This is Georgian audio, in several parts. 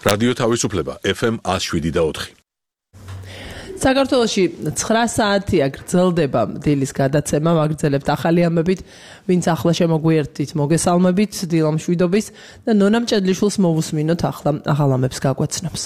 რადიო თავისუფლება FM 107.4. საქართველოში 9 საათია გრძელდება დილის გადაცემა, ვაგრძელებთ ახალი ამბებით, ვინც ახლა შემოგვიერთდით, მოგესალმებით, დილა მშვიდობის და ნონა მჭედლიშვილს მოვუსმინოთ ახლა ახალ ამბებს გაგვაცნობს.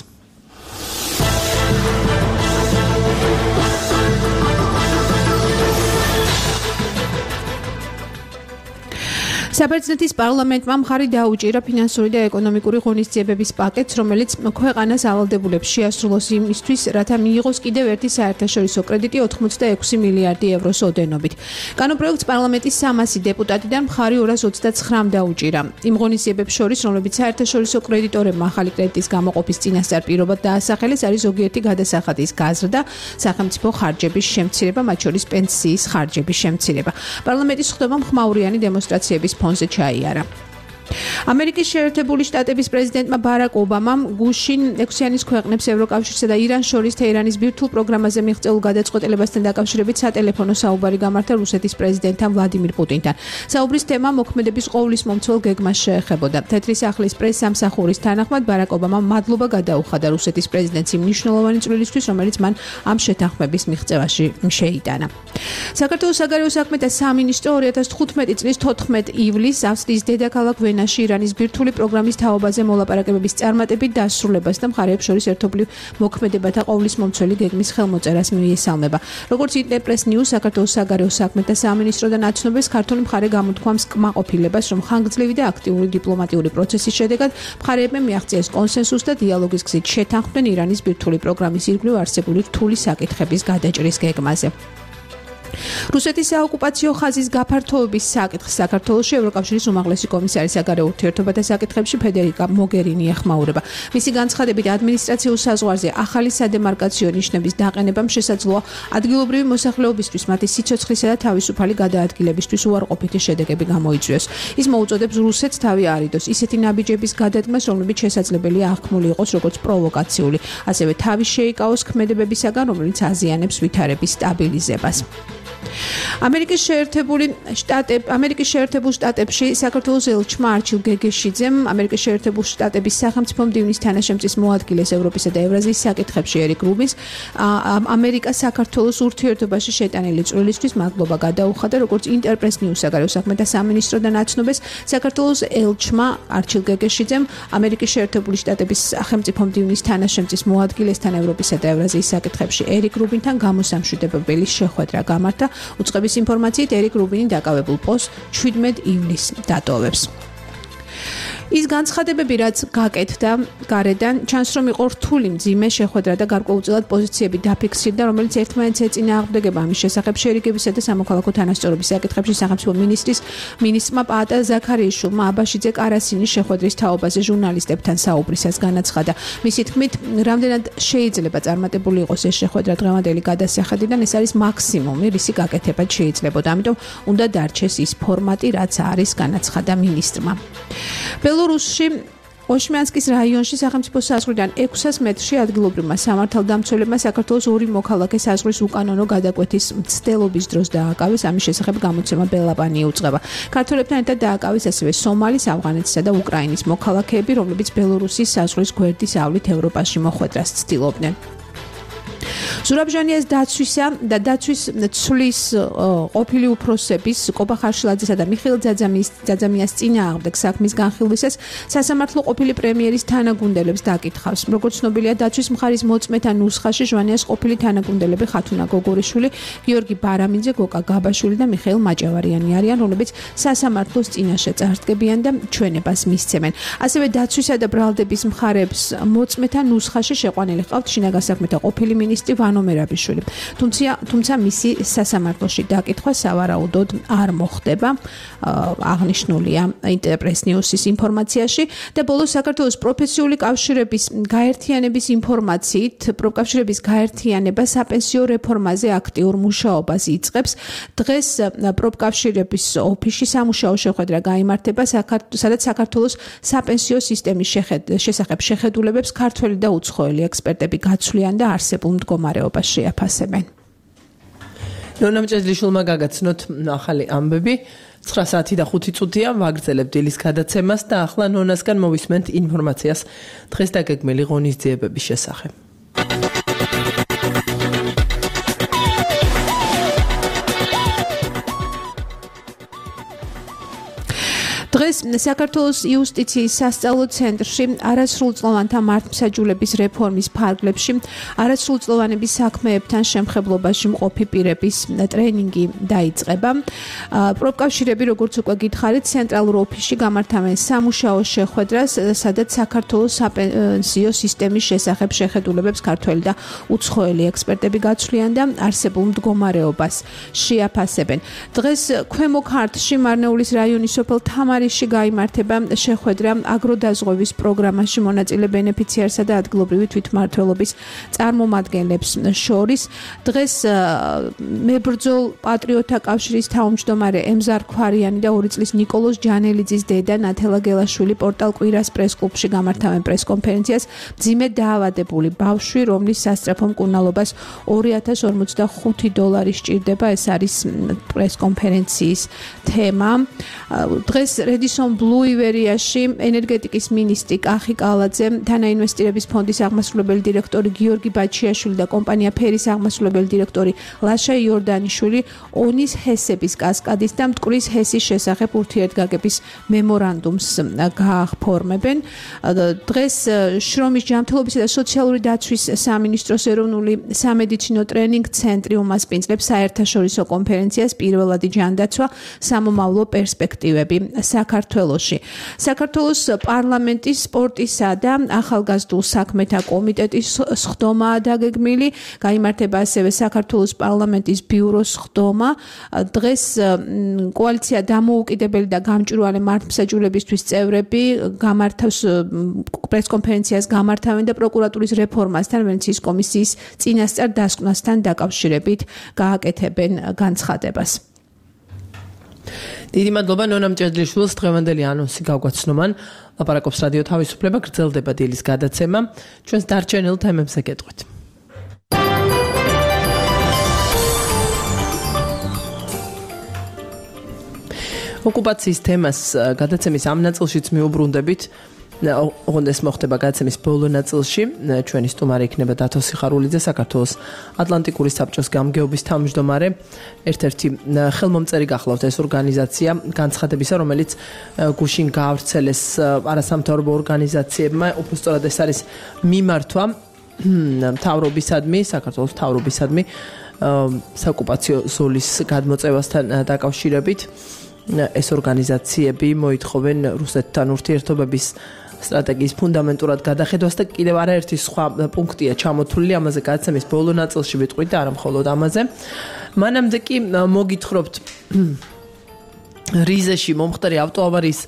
საბერძნეთის პარლამენტმა მხარი დაუჭირა ფინანსური და ეკონომიკური ღონისძიებების პაკეტს, რომელიც ქვეყანას ავალდებულებს შეასრულოს იმისთვის, რათა მიიღოს კიდევ ერთი საერთაშორისო კრედიტი 86 მილიარდი ევროს ოდენობით. კანონპროექტს პარლამენტის 300 დეპუტატიდან მხარი 229-მ დაუჭირა. იმ ღონისძიებებს შორის, რომლებიც საერთაშორისო კრედიტორებმა ახალი კრედიტის გამოყოფის წინასწარ პირობად დაასახელეს, არის ზოგიერთი გადასახადის გაზრდა, სახელმწიფო ხარჯების შემცირება, მათ შორის პენსიის ხარჯების შემცირება. პარლამენტის ხდომამ ხმაურიანი დემონსტრაციების ფონზე ჩაიარა. ამერიკის შეერთებული შტატების პრეზიდენტმა ბარაკ ობამამ გუშინ 6-იანის ქვეყნებს ევროკავშირსა და ირანს შორის თეირანის ბირთვულ პროგრამაზე მიღწეულ გადაწყვეტილებასთან დაკავშირებით სატელეფონო საუბარი გამართა რუსეთის პრეზიდენტთან ვლადიმირ პუტინთან. საუბრის თემა მოქმედების ყოვლის მომცველ გეგმას შეეხებოდა. თეთრი სახლის პრეს-სამსახურის თანახმად ბარაკ ობამამ მადლობა გადაუხადა რუსეთის პრეზიდენტს იმ მნიშვნელოვანი წვლილისთვის, რომელიც მან ამ შეთანხმების მიღწევაში შეიტანა. საქართველოს საგარეო საქმეთა სამინისტრო 2015 წლის 14 ივლისს ავსტრიის დედაქალაქ ვენაში ირანის ბირთვული პროგრამის თაობაზე მოლაპარაკებების წარმატებით დასრულებას და მხარეებს შორის ერთობლივ მოქმედებათა ყოვლის მომცველი გეგმის ხელმოწერას მიესალმება. როგორც ინტერპრეს ნიუს, საქართველოს საგარეო საქმეთა სამინისტროდან აცნობეს ქართული მხარე გამოთქვამს კმაყოფილებას, რომ ხანგრძლივი და აქტიური დიპლომატიური პროცესის შედეგად მხარეებმა მიაღწიეს კონსენსუსს და დიალოგის გზით შეთანხმდნენ ირანის ბირთვული პროგრამის ირგვლივ არსებული რთული საკითხების გადაჭრის გეგმაზე. რუსეთის საოკუპაციო ხაზის გაფართოების საკითხს საქართველოში ევროკავშირის უმაღლესი კომისარი საგარეო ურთიერთობათა საკითხებში ფედერიკა მოგერინი ეხმაურება. მისი განცხადებით, ადმინისტრაციულ საზღვარზე ახალი სადემარკაციო ნიშნების დაყენებამ შესაძლოა ადგილობრივი მოსახლეობისთვის მათი სიცოცხლისა და თავისუფალი გადაადგილებისთვის უარყოფითი შედეგები გამოიწვიოს. ის მოუწოდებს რუსეთს თავი არიდოს ისეთი ნაბიჯების გადადგმას, რომლებიც შესაძლებელია აღქმული იყოს როგორც პროვოკაციული, ასევე თავი შეიკავოს ქმედებებისაგან, რომელიც აზიანებს ვითარების სტაბილიზებას. ამერიკის შეერთებულ შტატებში საქართველოს ელჩმა არჩილ გეგეშიძემ ამერიკის შეერთებულ შტატების სახელმწიფო მდივნის თანაშემწის მოადგილეს ევროპისა და ევრაზიის საკითხებში ერიკ რუბინს ამერიკა საქართველოს ურთიერთობაში შეტანილი წვლილისთვის მადლობა გადაუხადა, როგორც ინტერპრეს ნიუს საგარეო საქმეთა სამინისტროდან აცნობეს, საქართველოს ელჩმა არჩილ გეგეშიძემ ამერიკის შეერთებული შტატების სახელმწიფო მდივნის თანაშემწის მოადგილესთან ევროპისა და ევრაზიის საკითხებში ერიკ რუბინთან გამოსამშვიდებელი შეხვედრა გამართა. უწყების ინფორმაციით ერიკ რუბინი დაკავებულ პოსტს 17 ივლისს დატოვებს. ის განცხადებები, რაც გაკეთდა გარედან, ჩანს რომ იყო რთული მძიმე შეხვედრა და გარკვეულწილად პოზიციები დაფიქსირდა, რომელიც ერთმანეთს ეწინააღმდეგება ამის შესახებ შერიგებისა და სამოქალაქო თანასწორობის საკითხებში სახელმწიფო მინისტრმა პაატა ზაქარიაშვილმა აბაშიძე კარასინის შეხვედრის თაობაზე ჟურნალისტებთან საუბრისას განაცხადა. მისი თქმით, რამდენად შეიძლება წარმატებული იყოს ეს შეხვედრა დღევანდელი გადასახედიდან, ეს არის მაქსიმუმი, რისი გაკეთება შეიძლებოდა. ამიტომ უნდა დარჩეს ის ფორმატი, რაც არის, განაცხადა მინისტრმა. ბელორუსში ოშმიანსკის რაიონში სახელმწიფო საზღვრიდან 600 მეტრში ადგილობრივმა სამართალდამცველებმა საქართველოს 2 მოქალაქე საზღვრის უკანონო გადაკვეთის მცდელობის დროს დააკავეს. ამის შესახებ გამოცემა ბელაპანი იუწყება. ქართველებთან ერთად დააკავეს ასევე სომალის, ავღანეთისა და უკრაინის მოქალაქეები, რომლებიც ბელორუსის საზღვრის გვერდის ავლით ევროპაში მოხვედრას ცდილობდნენ. ზურაბჟანიას დაცვისა და დაცვის ცვლის ყოფილი უფროსების კოპა ხარშილაძესა და მიხეილ ძაძამიას წინააღმდეგ საქმის განხილვისას სასამართლო ყოფილი პრემიერის თანაგუნდელებს დაკითხავს. როგორც ცნობილია, დაცვის მხარის მოწმეთა ნუსხაში ჟვანიას ყოფილი თანაგუნდელები ხათუნა გოგორიშვილი, გიორგი ბარამინძე, გოკა გაბაშვილი და მიხეილ მაჭავარიანი არიან, რომლებიც სასამართლოს წინაშე წარდგებიან და ჩვენებას მისცემენ. ასევე დაცვისა და ბრალდების მხარებს მოწმეთა ნუსხაში შეყვანილი ჰყავთ შინაგან საქმეთა ყოფილი მინისტრი ვანო მერაბიშვილი. თუმცა მისი სასამართლოში დაკითხვა სავარაუდოდ არ მოხდება, აღნიშნულია ინტერპრეს ნიუსის ინფორმაციაში. და ბოლოს საქართველოს პროფესიული კავშირების გაერთიანების ინფორმაციით, პროფკავშირების გაერთიანება საპენსიო რეფორმაზე აქტიურ მუშაობას იწყებს. დღეს პროფკავშირების ოფისში სამუშაო შეხვედრა გაიმართება, სადაც საქართველოს საპენსიო სისტემის შესახებ შეხედულებებს ქართველი და უცხოელი ექსპერტები გაცვლიან და არსებულ მდგომარეობას შეაფასებენ. ნონა მჭედლიშვილმა გაგაცნოთ ახალი ამბები. 9 საათი და 5 წუთია ვაგრძელებთ დილის გადაცემას და ახლა ნონასგან მოვისმენთ ინფორმაციას დღეს დაგეგმილი ღონისძიებების შესახებ. დღეს საქართველოს იუსტიციის სასწავლო ცენტრში არასრულწლოვანთა მართლმსაჯულების რეფორმის ფარგლებში არასრულწლოვანების საქმეებთან შემხებლობაში მყოფი პირების ტრენინგი დაიწყება. პროფკავშირები, როგორც უკვე გითხარით, ცენტრალურ ოფისში გამართავენ სამუშაო შეხვედრას, სადაც საქართველოს საპენსიო სისტემის შესახებ შეხედულებებს ქართველი და უცხოელი ექსპერტები გაცვლიან და არსებულ მდგომარეობას შეაფასებენ. დღეს ქვემო ქართლში მარნეულის რაიონის სოფელ თამარისში გაიმართება შეხვედრა აგროდაზღვევის პროგრამაში მონაწილე ბენეფიციარსა და ადგილობრივი თვითმმართველობის წარმომადგენლებს შორის. დღეს მებრძოლ პატრიოტთა კავშირის თავმჯდომარე ემზარ ქვარიანი და 2 წლის ნიკოლოზ ჯანელიძის დედა ნათელა გელაშვილი პორტალ კვირას პრესკლუბში გამართავენ პრესკონფერენციას. მძიმე დაავადებული ბავშვი, რომლის სასწრაფო მკურნალობას $2045 სჭირდება, ეს არის პრესკონფერენციის თემა. დღეს რედისონ ბლუ ივერიაში ენერგეტიკის მინისტრი კახი კალაძე, თანაინვესტირების ფონდის აღმასრულებელი დირექტორი გიორგი ბაჩიაშვილი და კომპანია ფერის აღმასრულებელი დირექტორი ლაშა იორდანიშვილი ონის ჰესების კასკადის და მტკვრის ჰესის შესახებ ურთიერთგაგების მემორანდუმს გააფორმებენ. დღეს შრომის ჯანმრთელობისა და სოციალური დაცვის სამინისტროს ეროვნული სამედიცინო ტრენინგ ცენტრი უმასპინძლებს საერთაშორისო კონფერენციას პირველადი ჯანდაცვა სამომავლო პერსპექტივები საქართველოში. საქართველოს პარლამენტის სპორტისა და ახალგაზრდულ საქმეთა კომიტეტის სხდომაა დაგეგმილი. გაიმართება ასევე საქართველოს პარლამენტის ბიუროს სხდომა. დღეს კოალიცია დამოუკიდებელი და გამჭვირვალე მართლმსაჯულებისთვის წევრები გამართავს პრესკონფერენციას გამართავენ და პროკურატურის რეფორმასთან ვენეციის კომისიის წინასწარ დასკვნასთან დაკავშირებით გააკეთებენ განცხადებას. დიდი მადლობა ნონა მჭედლიშვილს. დღევანდელი ანონსი გავგვაცნო. ლაპარაკობს რადიო თავისუფლება, გრძელდება დილის გადაცემა. ჩვენს დარჩენილ თემებზე გეტყვით. ოკუპაციის თემას გადაცემის ამ ნაწილშიც მიუბრუნდებით. ოღონდ ეს მოხდება გადაცემის ბოლო ნაწილში. ჩვენი სტუმარი იქნება დათო სიხარულიძე, საქართველოს ატლანტიკური საბჭოს გამგეობის თავმჯდომარე. ერთ-ერთი ხელმომწერი გახლავთ ეს ორგანიზაცია განცხადებისა, რომელიც გუშინ გაავრცელეს არასამთავრობო ორგანიზაციებმა. უბრალოდ ეს არის მიმართვა მთავრობისადმი, საქართველოს მთავრობისადმი საოკუპაციო ზოლის გადმოწევასთან დაკავშირებით. ეს ორგანიზაციები მოითხოვენ რუსეთთან ურთიერთობების სტრატეგიის ფუნდამენტურად გადახედვას და კიდევ არაერთი სხვა პუნქტია ჩამოთვლილი ამაზე გადაცემის ბოლო ნაწილში ვიტყვით და არა მხოლოდ ამაზე. მანამდე კი მოგითხრობთ რიზეში მომხდარი ავტოავარიის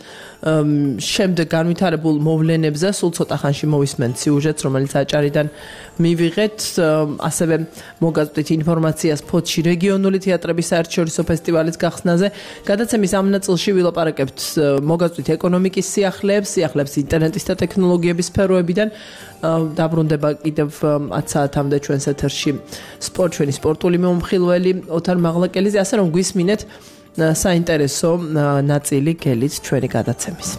შემდეგ განვითარებულ მოვლენებზე. სულ ცოტა ხანში მოვისმენთ სიუჟეტს, რომელიც აჭარიდან მივიღეთ. ასევე მოგაწვდით ინფორმაციას ფოთში რეგიონული თეატრების საერთაშორისო ფესტივალის გახსნაზე. გადაცემის ამ ნაწილში ვილაპარაკებთ მოგაწვდით ეკონომიკის სიახლეებს ინტერნეტის და ტექნოლოგიების სფეროებიდან. დაბრუნდება კიდევ 10 საათამდე ჩვენს ეთერში ჩვენი სპორტული მომხილველი ოთარ მაღლაკელიძე, ასე რომ გვისმინეთ საინტერესო ნაწილი გელით ჩვენი გადაცემის.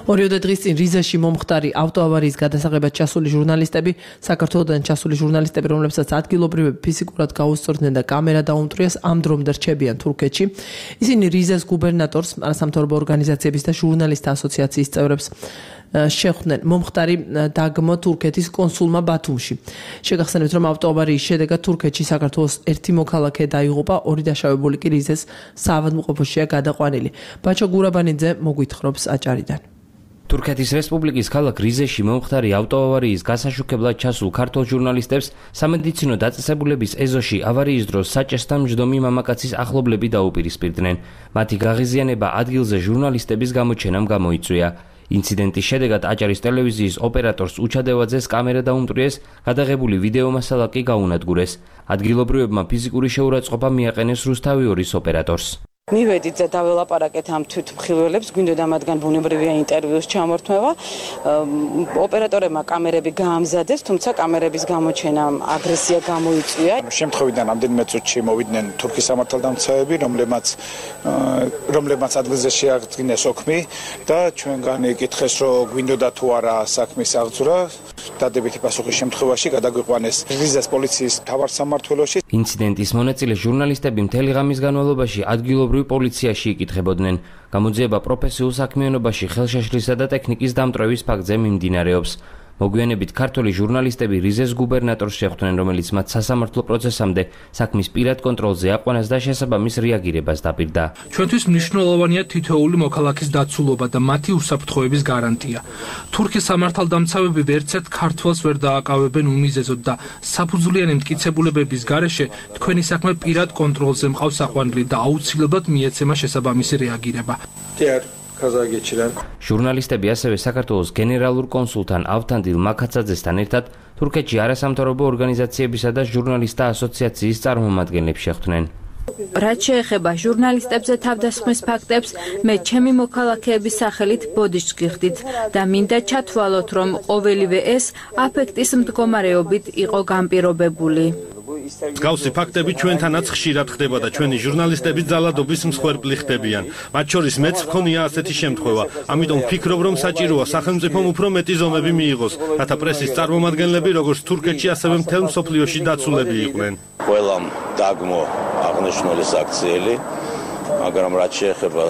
ორიოდე დღის წინ რიზეში მომხდარი ავტოავარიის გადასაღებად ჩასული ჟურნალისტები, საქართველოდან ჩასული ჟურნალისტები, რომლებსაც ადგილობრივები ფიზიკურად გაუსწორდნენ და კამერა დაუმტვრიეს, ამ დრომდე რჩებიან თურქეთში. ისინი რიზეს გუბერნატორს, არასამთავრობო ორგანიზაციების და ჟურნალისტთა ასოციაციის წევრებს შეხვდნენ. მომხდარი დაგმო თურქეთის კონსულმა ბათუმში. შეგახსენებთ, რომ ავტოავარიის შედეგად თურქეთში საქართველოს ერთი მოქალაქე დაიღუპა, 2 დაშავებული კი რიზეს საავადმყოფოშია გადაყვანილი. ბაჩო გურაბანიძე მოგვითხრობს აჭარიდან. თურქეთის რესპუბლიკის ქალაქ რიზეში მომხდარი ავტოავარიის გასაშუქებლად ჩასულ ქართულ ჟურნალისტებს სამედიცინო დაწესებულების ეზოში ავარიის დროს საჭესთან მჯდომი მამაკაცის ახლობლები დაუპირისპირდნენ. მათი გაღიზიანება ადგილზე ჟურნალისტების გამოჩენამ გამოიწვია. ინციდენტის შედეგად აჭარის ტელევიზიის ოპერატორს უჩადევაძეს კამერა დაუმტვრიეს, გადაღებული ვიდეო მასალა კი გაუნადგურეს. ადგილობრივებმა ფიზიკური შეურაცხყოფა მიაყენეს რუსთავი 2-ის ოპერატორს. მივედით და დაველაპარაკეთ ამ თვითმხილველებს, გვინდოდა მათგან ბუნებრივია ინტერვიუს ჩამორთმევა. ოპერატორებმა კამერები გაამზადეს, თუმცა კამერების გამოჩენამ აგრესია გამოიწვია. შემთხვევიდან რამდენიმე წუთში მოვიდნენ თურქის სამართალდამცავები, რომლებმაც ადგილზე შეაღწინეს ოქმი და ჩვენგან იკითხეს, რომ გვინდოდა თუ არა საქმის აღძვრა. დადებითი პასუხის შემთხვევაში გადაგვიყვანეს რიზეს პოლიციის მთავარ სამმართველოში. ინციდენტის მონაწილე ჟურნალისტები მთელი ღამის განმავლობაში ადგილობრივ პოლიციაში იკითხებოდნენ. გამოძიება პროფესიულ საქმიანობაში ხელშეშლისა და ტექნიკის დამტვრევის ფაქტზე მიმდინარეობს. მოგვიანებით ქართველი ჟურნალისტები რიზეს გუბერნატორს შეხვდნენ, რომელიც მათ სასამართლო პროცესამდე საქმის პირად კონტროლზე აყვანას და შესაბამის რეაგირებას დაპირდა. ჩვენთვის მნიშვნელოვანია თითოეული მოქალაქის დაცულობა და მათი უსაფრთხოების გარანტია. თურქის სამართალდამცავები ვერცერთ ქართველს ვერ დააკავებენ უმიზეზოდ და საფუძვლიანი მტკიცებულებების გარეშე თქვენი საქმე პირად კონტროლზე მყავს აყვანილი და აუცილებლად მიეცემა შესაბამისი რეაგირება. ჟურნალისტები ასევე საქართველოს გენერალურ კონსულთან ავთანდილ მაქაცაძესთან ერთად თურქეთში არასამთავრობო ორგანიზაციებისა და ჟურნალისტთა ასოციაციის წარმომადგენლებს შეხვდნენ. რაც შეეხება ჟურნალისტებზე თავდასხმის ფაქტებს, მე ჩემი მოქალაქეების სახელით ბოდიშს გიხდით და მინდა ჩათვალოთ, რომ ყოველივე ეს აფექტის მდგომარეობით იყო განპირობებული. Გავსი ფაქტები ჩვენთანაც ხშირად ხდება და ჩვენი ჟურნალისტები ძალადობის მსხვერპლი ხდებიან. მათ შორის მეც მქონია ასეთი შემთხვევა. ამიტომ ვფიქრობ, რომ საჭიროა სახელმწიფომ უფრო მეტი ზომები მიიღოს, რათა პრესის წარმომადგენლები როგორც თურქეთში, ასევე მთელ მსოფლიოში დაცულები იყვნენ. ყველამ დაგმო აღნიშნული საქციელი, მაგრამ რაც შეეხება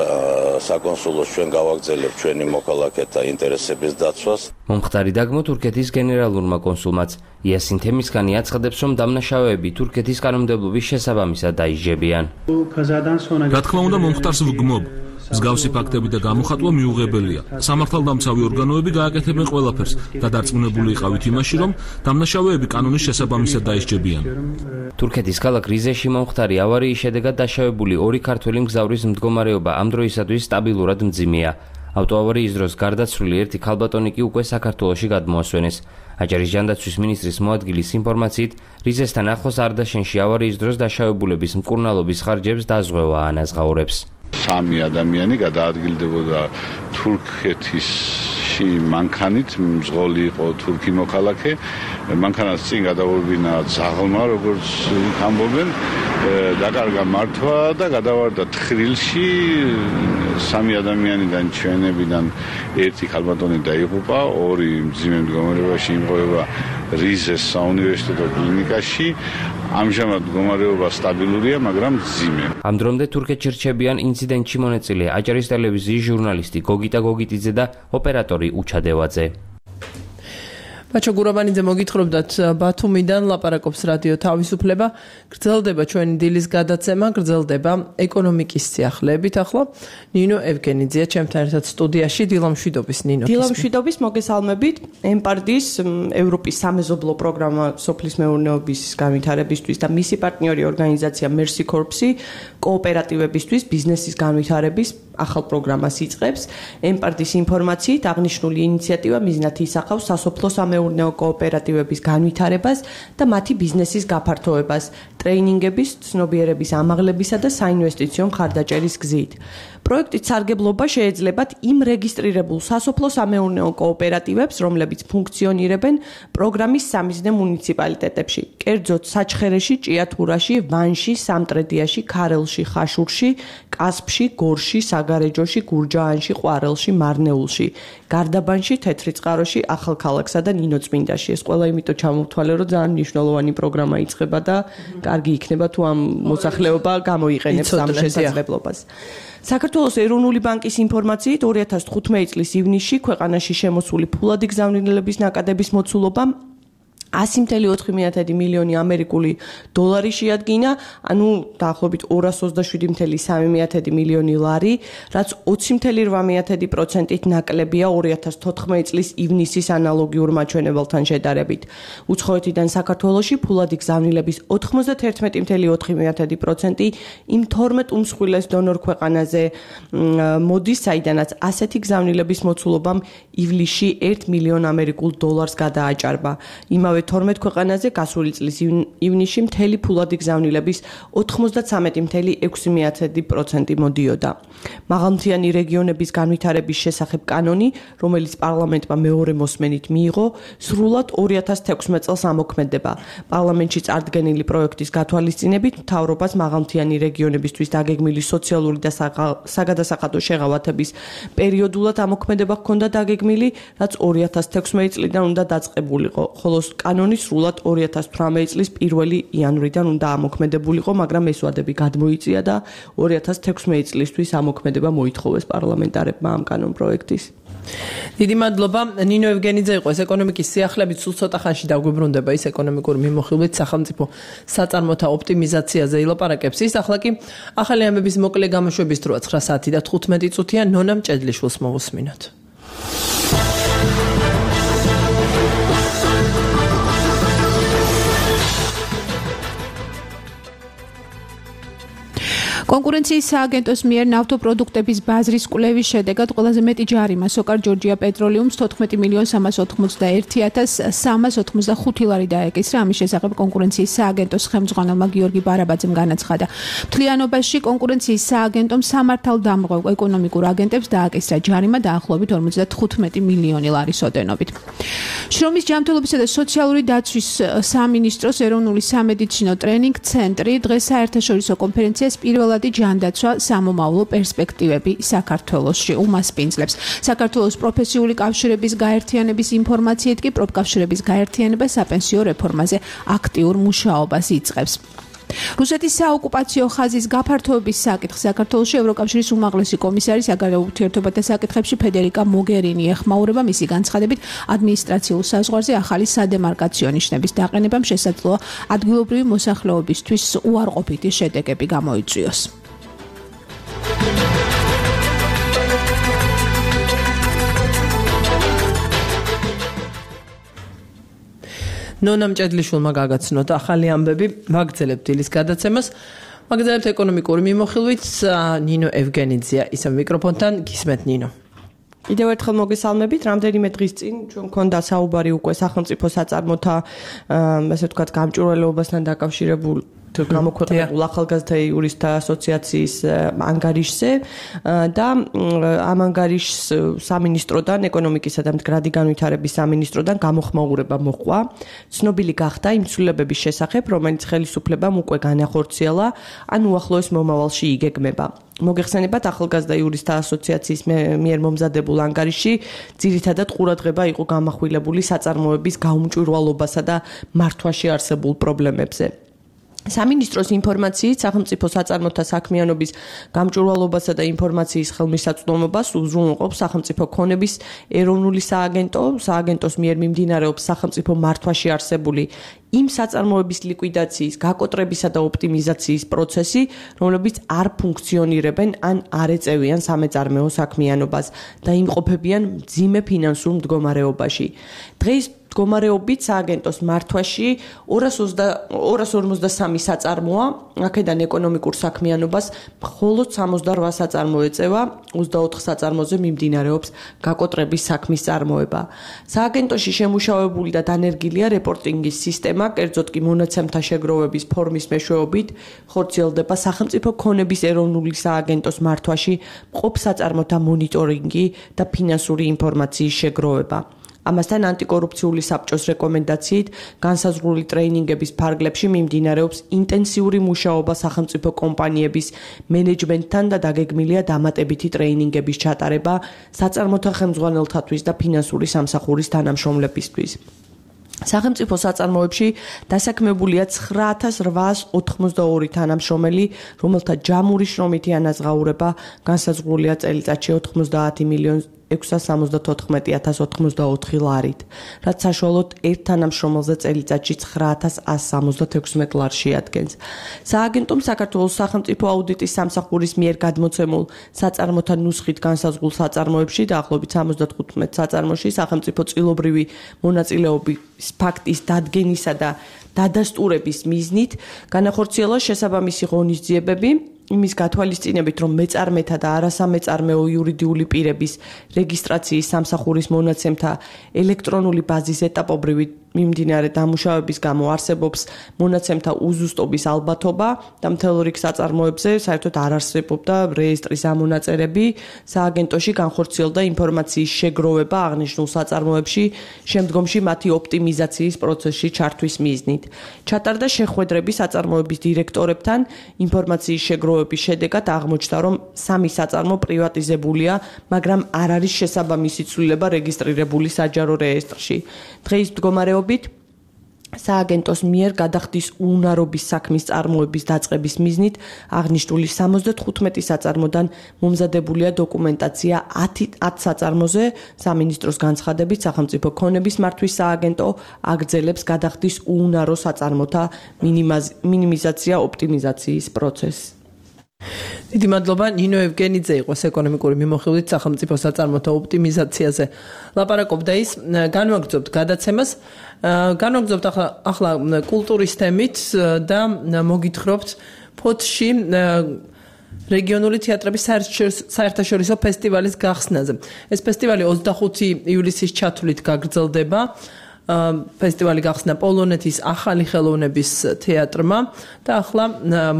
საკონსულოს ჩვენ გავაგრძელებთ ჩვენი მოქალაქეთა ინტერესების დაცვას. მომხდარი დაგმო თურქეთის გენერალურმა კონსულმაც იასინ თემისქანი აცხადებს, რომ დამნაშავეები თურქეთის კანონმდებლობის შესაბამისად დაიჯებიან. რა თქმა უნდა, მომხდარს ვგმობ. მსგავსი ფაქტები და გამოხატვა მიუღებელია. სამართალდამცავი ორგანოები გააკეთებენ ყველაფერს და დარწმუნებული იყავით იმაში, რომ დამნაშავეები კანონის შესაბამისად დაისჯებიან. თურქეთის ქალაქ რიზეში მომხდარი ავარიის შედეგად დაშავებული ორი ქართველი მგზავრის მდგომარეობა ამ დროისათვის სტაბილურად მძიმეა. ავტოავარიის დროს გარდაცვლილი ერთი ქალბატონი კი უკვე საქართველოში გადმოასვენეს. აჭარის ჯანდაცვის მინისტრის მოადგილის ინფორმაციით, რიზესთან ახლოს არდაშენში ავარიის დროს დაშავებულების მკურნალობის ხარჯებს დაზღვევა ანაზღაურებს. 3 ადამიანი გადაადგილდებოდა თურქეთში მანქანით, მძღოლი იყო თურქი მოქალაქე, მანქანას წინ გადავურბინა ძაღლმა, როგორც ამბობენ, დაკარგა მართვა და გადავარდა თხრილში. 3 ადამიანიდან ჩვენებიდან ერთი ქალბატონი დაიღუპა, 2 მძიმე მდგომარეობაში იმყოფება რიზეს საუნივერსიტეტო კლინიკაში. ამჟამად მდგომარეობა სტაბილურია, მაგრამ მძიმე. ამ დრომდე თურქეთში რჩებიან ინციდენტში მონაწილე აჭარის ტელევიზიის ჟურნალისტი გოგიტა გოგიტიძე და ოპერატორი უჩადევაძე. ბაჩო გურაბანიძე მოგითხრობდათ ბათუმიდან ლაპარაკობს რადიო თავისუფლება. გრძელდება ჩვენი დილის გადაცემა, გრძელდება ეკონომიკის სიახლეებით. ახლა ნინო ევგენიძია ჩემთან ერთად სტუდიაში. დილამშვიდობის ნინო. დილამშვიდობის, მოგესალმებით. ემპარდის ევროპის სამეზობლო პროგრამა სოფლის მეურნეობის განვითარებისთვის და მისი პარტნიორი ორგანიზაცია Mercy Corps-ი კოოპერატივებისთვის ბიზნესის განვითარების ახალ პროგრამას იწყებს. ემპარდის ინფორმაციით აღნიშნული ინიციატივა მიზნად ისახავს სასოფლო სამეურნეო კოოპერატივების განვითარებას და მათი ბიზნესის გაფართოებას, ტრეინინგების, ცნობიერების ამაღლებისა და საინვესტიციო მხარდაჭერის გზით. პროექტის სარგებლობა შეეძლებათ იმ რეგისტრირებულ სასოფლო სამეურნეო კოოპერატივებს, რომლებიც ფუნქციონირებენ პროგრამის სამიზნე მუნიციპალიტეტებში, კერძოდ საჩხერეში, ჭიათურაში, ვანში, სამტრედიაში, ქარელში, ხაშურში, კასპში, გორში, საგარეჯოში, გურჯაანში, ყვარელში, მარნეულში, გარდაბანში, თეთრიწყაროში, ახალქალაქსა და ნინოწმინდაში. ეს ყველა იმიტომ ჩამოვთვალე, რომ ძალიან მნიშვნელოვანი პროგრამა იწყება და კარგი იქნება თუ ამ მოსახლეობა გამოიყენებს ამ შესაძლებლობას. საქართველოს ეროვნული ბანკის ინფორმაციით 2015 წლის ივნისში ქვეყანაში შემოსული ფულადი გზავნილების ნაკადების მოცულობა 100.4 მილიონი ამერიკული დოლარი შეადგინა, ანუ დაახლოებით 227.3 მილიონი ლარი, რაც 20.8%-ით ნაკლებია 2014 წლის ივნისის ანალოგიურ მაჩვენებელთან შედარებით. უცხოეთიდან საქართველოში ფულადი გზავნილების 91.4% იმ 12 უმსხვილეს დონორ ქვეყანაზე მოდის, საიდანაც ასეთი გზავნილების მოცულობამ ივლისში 1 მილიონ ამერიკულ დოლარს გადააჭარბა. იმავე 12 ქვეყანაზე გასული წლის ივნისში მთელი ფულადი გზავნილების 93.6% მოდიოდა. მაღალმთიანი რეგიონების განვითარების შესახებ კანონი, რომელიც პარლამენტმა მეორე მოსმენით მიიღო, სრულად 2016 წელს ამოქმედება. პარლამენტში წარდგენილი პროექტის გათვალისწინებით მთავრობას მაღალმთიანი რეგიონებისთვის დაგეგმილი სოციალური და საგადასახადო შეღავათების პერიოდულად ამოქმედება ჰქონდა დაგეგმილი, რაც 2016 წლიდან უნდა დაწყებულიყო, ხოლო კანონი სრულად 2018 წლის 1 იანვრიდან უნდა ამოქმედებულიყო, მაგრამ ეს ვადები გადმოიწია და 2016 წლისთვის ამოქმედება მოითხოვეს პარლამენტარებმა ამ კანონ პროექტის. დიდი მადლობა. ნინო ევგენიძე იყო ეს ეკონომიკის სიახლეებით, სულ ცოტა ხანში დაგვიბრუნდება ის ეკონომიკური მიმოხილვით სახელმწიფო საწარმოთა ოპტიმიზაციაზე ილაპარაკებს. ის ახლა კი ახალი ამბების მოკლე გამოშვების დროა 9 საათი და 15 წუთია. ნონა მჭედლიშვილს მოვუსმინოთ. კონკურენციის სააგენტოს მიერ ნავთობპროდუქტების ბაზრის კვლევის შედეგად ყველაზე მეტი ჯარიმა სოკარ ჯორჯია პეტროლიუმს 14.385.385 ლარი დაეკისრა. ამის შესახებ კონკურენციის სააგენტოს ხელმძღვანელმა გიორგი ბარაბაძემ განაცხადა. მთლიანობაში კონკურენციის სააგენტომ სამართალდამღებ ეკონომიკურ აგენტებს დააკისრა ჯარიმა დაახლოებით 55 მილიონი ლარის ოდენობით. შრომის ჯანმრთელობისა და სოციალური დაცვის სამინისტროს ეროვნული სამედიცინო ტრენინგ ცენტრი დღეს საერთაშორისო კონფერენციას პირველად ჯანდაცვა სამომავლო პერსპექტივები საქართველოში უმასპინძლებს. საქართველოს პროფესიული კავშირების გაერთიანების ინფორმაციით კი პროფკავშირების გაერთიანება საპენსიო რეფორმაზე აქტიურ მუშაობას იწყებს. რუსეთის საოკუპაციო ხაზის გაფართოების საკითხს საქართველოში ევროკავშირის უმაღლესი კომისარი საგარეო ურთიერთობათა საკითხებში ფედერიკა მოგერინი ეხმაურება. მისი განცხადებით ადმინისტრაციულ საზღვარზე ახალი სადემარკაციო ნიშნების დაყენებამ შესაძლოა ადგილობრივი მოსახლეობისთვის უარყოფითი შედეგები გამოიწვიოს. ნონა მჭედლიშვილმა გაგაცნოთ ახალი ამბები, ვაგრძელებთ დილის გადაცემას, ვაგრძელებთ ეკონომიკური მიმოხილვით. ნინო ევგენიძია ისევ მიკროფონთან, გისმენთ ნინო. კიდევ ერთხელ მოგესალმებით. რამდენიმე დღის წინ ჩვენ მქონდა საუბარი უკვე სახელმწიფო საწარმოთა, ასე ვთქვათ, გამჭვირვალეობასთან დაკავშირებულ გამოქვეყნებულ ახალგაზრდა იურისტთა ასოციაციის ანგარიშზე და ამ ანგარიშს სამინისტროდან, ეკონომიკისა და მდგრადი განვითარების სამინისტროდან გამოხმაურება მოჰყვა. ცნობილი გახდა იმ ცვლილებების შესახებ, რომელიც ხელისუფლებამ უკვე განახორციელა, ან უახლოეს მომავალში იგეგმება. მოგეხსენებათ, ახალგაზრდა იურისტთა ასოციაციის მიერ მომზადებულ ანგარიში ძირითადად ყურადღება იყო გამახვილებული საწარმოების გაუმჭვირვალობასა და მართვაში არსებულ პრობლემებზე. სამინისტროს ინფორმაციით სახელმწიფო საწარმოთა საქმიანობის გამჭვირვალობასა და ინფორმაციის ხელმისაწვდომობას უზრუნველყოფს სახელმწიფო ქონების ეროვნული სააგენტო. სააგენტოს მიერ მიმდინარეობს სახელმწიფო მართვაში არსებული იმ საწარმოების ლიკვიდაციის, გაკოტრებისა და ოპტიმიზაციის პროცესი, რომლებიც არ ფუნქციონირებენ ან არ ეწევიან სამეწარმეო საქმიანობას და იმყოფებიან მძიმე ფინანსურ მდგომარეობაში. დღეს მდგომარეობით სააგენტოს მართვაში 253 საწარმოა, აქედან ეკონომიკურ საქმიანობას მხოლოდ 68 საწარმო ეწევა, 24 საწარმოზე მიმდინარეობს გაკოტრების საქმის წარმოება. სააგენტოში შემუშავებული და დანერგილია რეპორტინგის სისტემა, კერძოდ კი მონაცემთა შეგროვების ფორმის მეშვეობით ხორციელდება სახელმწიფო ქონების ეროვნული სააგენტოს მართვაში მყოფ საწარმოთა მონიტორინგი და ფინანსური ინფორმაციის შეგროვება. ამასთან ანტიკორუფციული საბჭოს რეკომენდაციით განსაზღვრული ტრეინინგების ფარგლებში მიმდინარეობს ინტენსიური მუშაობა სახელმწიფო კომპანიების მენეჯმენტთან და დაგეგმილია დამატებითი ტრეინინგების ჩატარება საწარმოთა ხელმძღვანელთათვის და ფინანსური სამსახურის თანამშრომლებისთვის. სახელმწიფო საწარმოებში დასაქმებულია 9882 თანამშრომელი, რომელთა ჯამური შრომითი ანაზღაურება განსაზღვრულია წელიწადში 90,674,084 ლარით, რაც საშუალოდ ერთ თანამშრომელზე წელიწადში 9176 ლარს შეადგენს. სააგენტომ საქართველოს სახელმწიფო აუდიტის სამსახურის მიერ გადმოცემულ საწარმოთა ნუსხით განსაზღვრულ საწარმოებში დაახლოებით 75 საწარმოში სახელმწიფო წილობრივი მონაწილეობის ფაქტის დადგენისა და დადასტურების მიზნით განახორციელა შესაბამისი ღონისძიებები იმის გათვალისწინებით, რომ მეწარმეთა და არასამეწარმეო იურიდიული პირების რეგისტრაციის სამსახურის მონაცემთა ელექტრონული ბაზის ეტაპობრივი მიმდინარე დამუშავების გამო არსებობს მონაცემთა უზუსტობის ალბათობა და მთელ რიგ საწარმოებზე საერთოდ არ არსებობდა რეესტრის ამონაწერები, სააგენტოში განხორციელდა ინფორმაციის შეგროვება აღნიშნულ საწარმოებში, შემდგომში მათი ოპტიმიზაციის პროცესში ჩართვის მიზნით. ჩატარდა შეხვედრები საწარმოების დირექტორებთან, ინფორმაციის შეგროვების შედეგად აღმოჩნდა, რომ 3 საწარმო პრივატიზებულია, მაგრამ არ არის შესაბამისი ცვლილება რეგისტრირებული საჯარო რეესტრში. დღეის მდგომარეობით სააგენტოს მიერ გადახდის უნარობის საქმის წარმოების დაწყების მიზნით აღნიშნული 75 საწარმოდან მომზადებულია დოკუმენტაცია 10 საწარმოზე. სამინისტროს განცხადებით სახელმწიფო ქონების მართვის სააგენტო აგრძელებს გადახდის უნარო საწარმოთა მინიმიზაცია ოპტიმიზაციის პროცესს. დიდი მადლობა ნინო ევგენიძე იყოს ეკონომიკური მიმოხილვით სახელმწიფო საწარმოთა ოპტიმიზაციაზე ლაპარაკობდა ის განვაგრძობთ გადაცემას განვაგრძობთ ახლა კულტურის თემით და მოგითხრობთ ფოთში რეგიონული თეატრების საერთაშორისო ფესტივალის გახსნაზე ეს ფესტივალი 25 ივლისის ჩათვლით გაგრძელდება ფესტივალი გახსნა პოლონეთის ახალი ხელოვნების თეატრმა და ახლა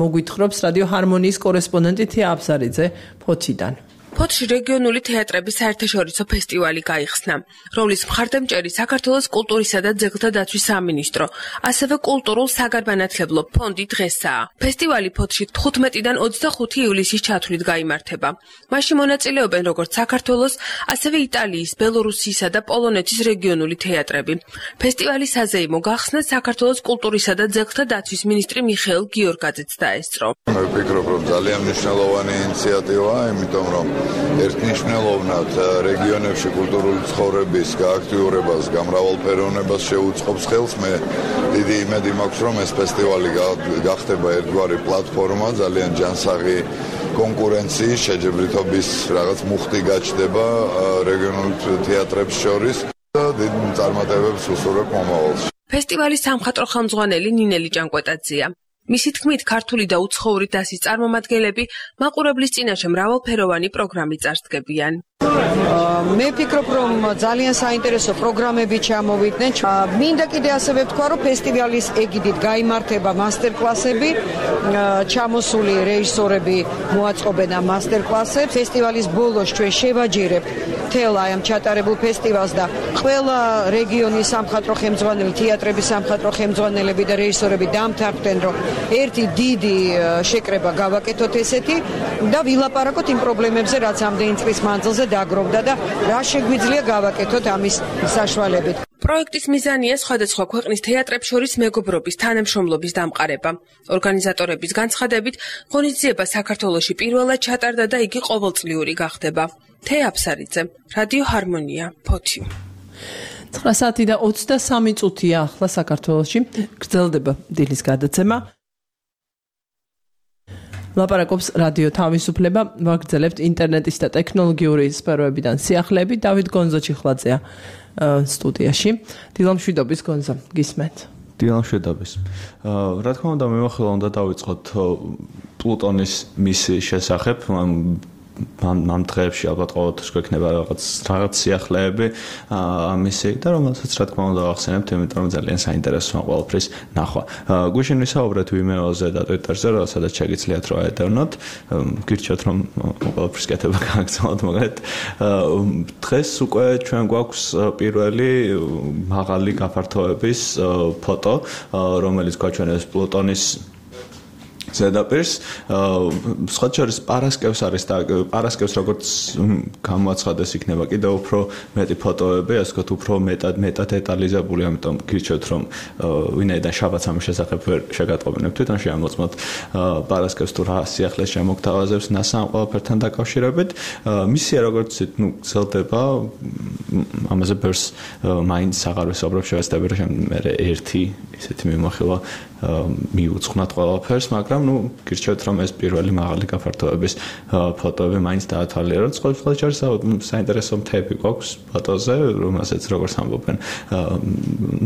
მოგვითხრობს რადიო ჰარმონიის კორესპონდენტი თია აბსარიძე ფოთიდან. ფოთში რეგიონული თეატრების საერთაშორისო ფესტივალი გაიხსნა, რომლის მხარდამჭერი საქართველოს კულტურისა და ძეგლთა დაცვის სამინისტრო, ასევე კულტურულ საგანმანათლებლო ფონდი დღესაა. ფესტივალი ფოთში 15-დან 25 ივლისის ჩათვლით გაიმართება. მასში მონაწილეობენ როგორც საქართველოს, ასევე იტალიის, ბელორუსიისა და პოლონეთის რეგიონული თეატრები. ფესტივალის საზეიმო გახსნა საქართველოს კულტურისა და ძეგლთა დაცვის მინისტრი მიხეილ გიორგაძეც დაესწრო. მე ვფიქრობ, რომ ძალიან მნიშვნელოვანი ინიციატივაა, იმიტომ რომ ერთნიშნულოვნად რეგიონებში კულტურული ცხოვრების გააქტიურებას, გამრავალფეროვნებას შეუწყობს ხელს. მე დიდი იმედი მაქვს, რომ ეს ფესტივალი გახდება ერთგვარი პლატფორმა, ძალიან ჯანსაღი კონკურენციის, შეჯიბრითობის რაღაც მუხტი გაჩნდება რეგიონულ თეატრებს შორის და დიდ წარმატებებს უსურვებ მომავალში. ფესტივალის სამხატვრო ხელმძღვანელი ნინელი ჭანკვეტაძეა. მისი თქმით, ქართული და უცხოური დასის წარმომადგენლები მაყურებლის წინაშე მრავალფეროვანი პროგრამით წარსდგებიან. მე ვფიქრობ, რომ ძალიან საინტერესო პროგრამები ჩამოვიდნენ. მინდა კიდე ასევე ვთქვა, რომ ფესტივალის ეგიდით გაიმართება მასტერკლასები, ჩამოსული რეჟისორები მოაწყობენ ამ მასტერკლასებს. ფესტივალის ბოლოს ჩვენ შევაჯერებთ მთელ ამ ჩატარებულ ფესტივალს და ყველა რეგიონის სამხატვრო ხელმძღვანელი, თეატრების სამხატვრო ხელმძღვანელები და რეჟისორები დამთავრდნენ, რომ ერთი დიდი შეკრება გავაკეთოთ ესეთი და ვილაპარაკოთ იმ პრობლემებზე, რაც ამდენი წლის მანძილზე დაგროვდა და რა შეგვიძლია გავაკეთოთ ამის საშუალებით. პროექტის მიზანია სხვადასხვა ქვეყნის თეატრებს შორის მეგობრობის, თანამშრომლობის დამყარება. ორგანიზატორების განცხადებით, ღონისძიება საქართველოში პირველად ჩატარდა და იგი ყოველწლიური გახდება. თეა აბსარიძე, რადიო ჰარმონია, ფოთი. 9 საათი და 23 წუთია ახლა საქართველოში გრძელდება დილის გადაცემა. ლაპარაკობს რადიო თავისუფლება, ვაგრძელებთ ინტერნეტის და ტექნოლოგიური სფეროებიდან სიახლეები. დავით გონზოჩიხლაძეა სტუდიაში. დილამშვიდობის გონზო, გისმენთ. დილამშვიდობის. რა თქმა უნდა, მიმოხილვა უნდა დავიწყოთ პლუტონის მისიის შესახებ. ამ დღეებში ალბათ ყოველთვის გვექნება რაღაც სიახლეები ამისი და რომელსაც რა თქმა უნდა ახსენებთ, იმიტომ რომ ძალიან საინტერესოა ყველაფრის ნახვა. გვიშინ ვისაუბრეთ ვიმეოზე და ტვიტერზე, სადაც შეგიძლიათ რა ეტევნოთ. გირჩევთ რომ ყველაფრის კეთება გააგრძელოთ, მაგრამ დღეს უკვე ჩვენ გვაქვს პირველი მაღალი გაფართოების ფოტო, რომელიც გვაჩვენებს პლუტონის ზედაპირს. სხვა შორის პარასკევს არის და პარასკევს როგორც გამოაცხადეს იქნება კიდევ უფრო მეტი ფოტოები, ასე ვთქვათ, უფრო მეტად დეტალიზებული, ამიტომ გირჩევთ რომ ვინაიდან შაბათს ამის შესახებ ვერ შეგატყობინებთ, თვითონ შეამოწმოთ პარასკევს თუ რა სიახლეს შემოგთავაზებს NASA ამ ყველაფერთან დაკავშირებით. მისია როგორც გრძელდება, ამაზე ბევრს მაინც აღარ ვისაუბრებ, შევეცდები რომ მე ერთი ისეთი მიმოხილვა მიუძღვნათ ყველაფერს, მაგრამ გირჩევთ რომ ეს პირველი მაღალი გაფართოების ფოტოები მაინც დაათვალიეროთ. ყოველთვის არის საინტერესო მთები გვაქვს ფოტოზე, რომელსაც როგორც ამბობენ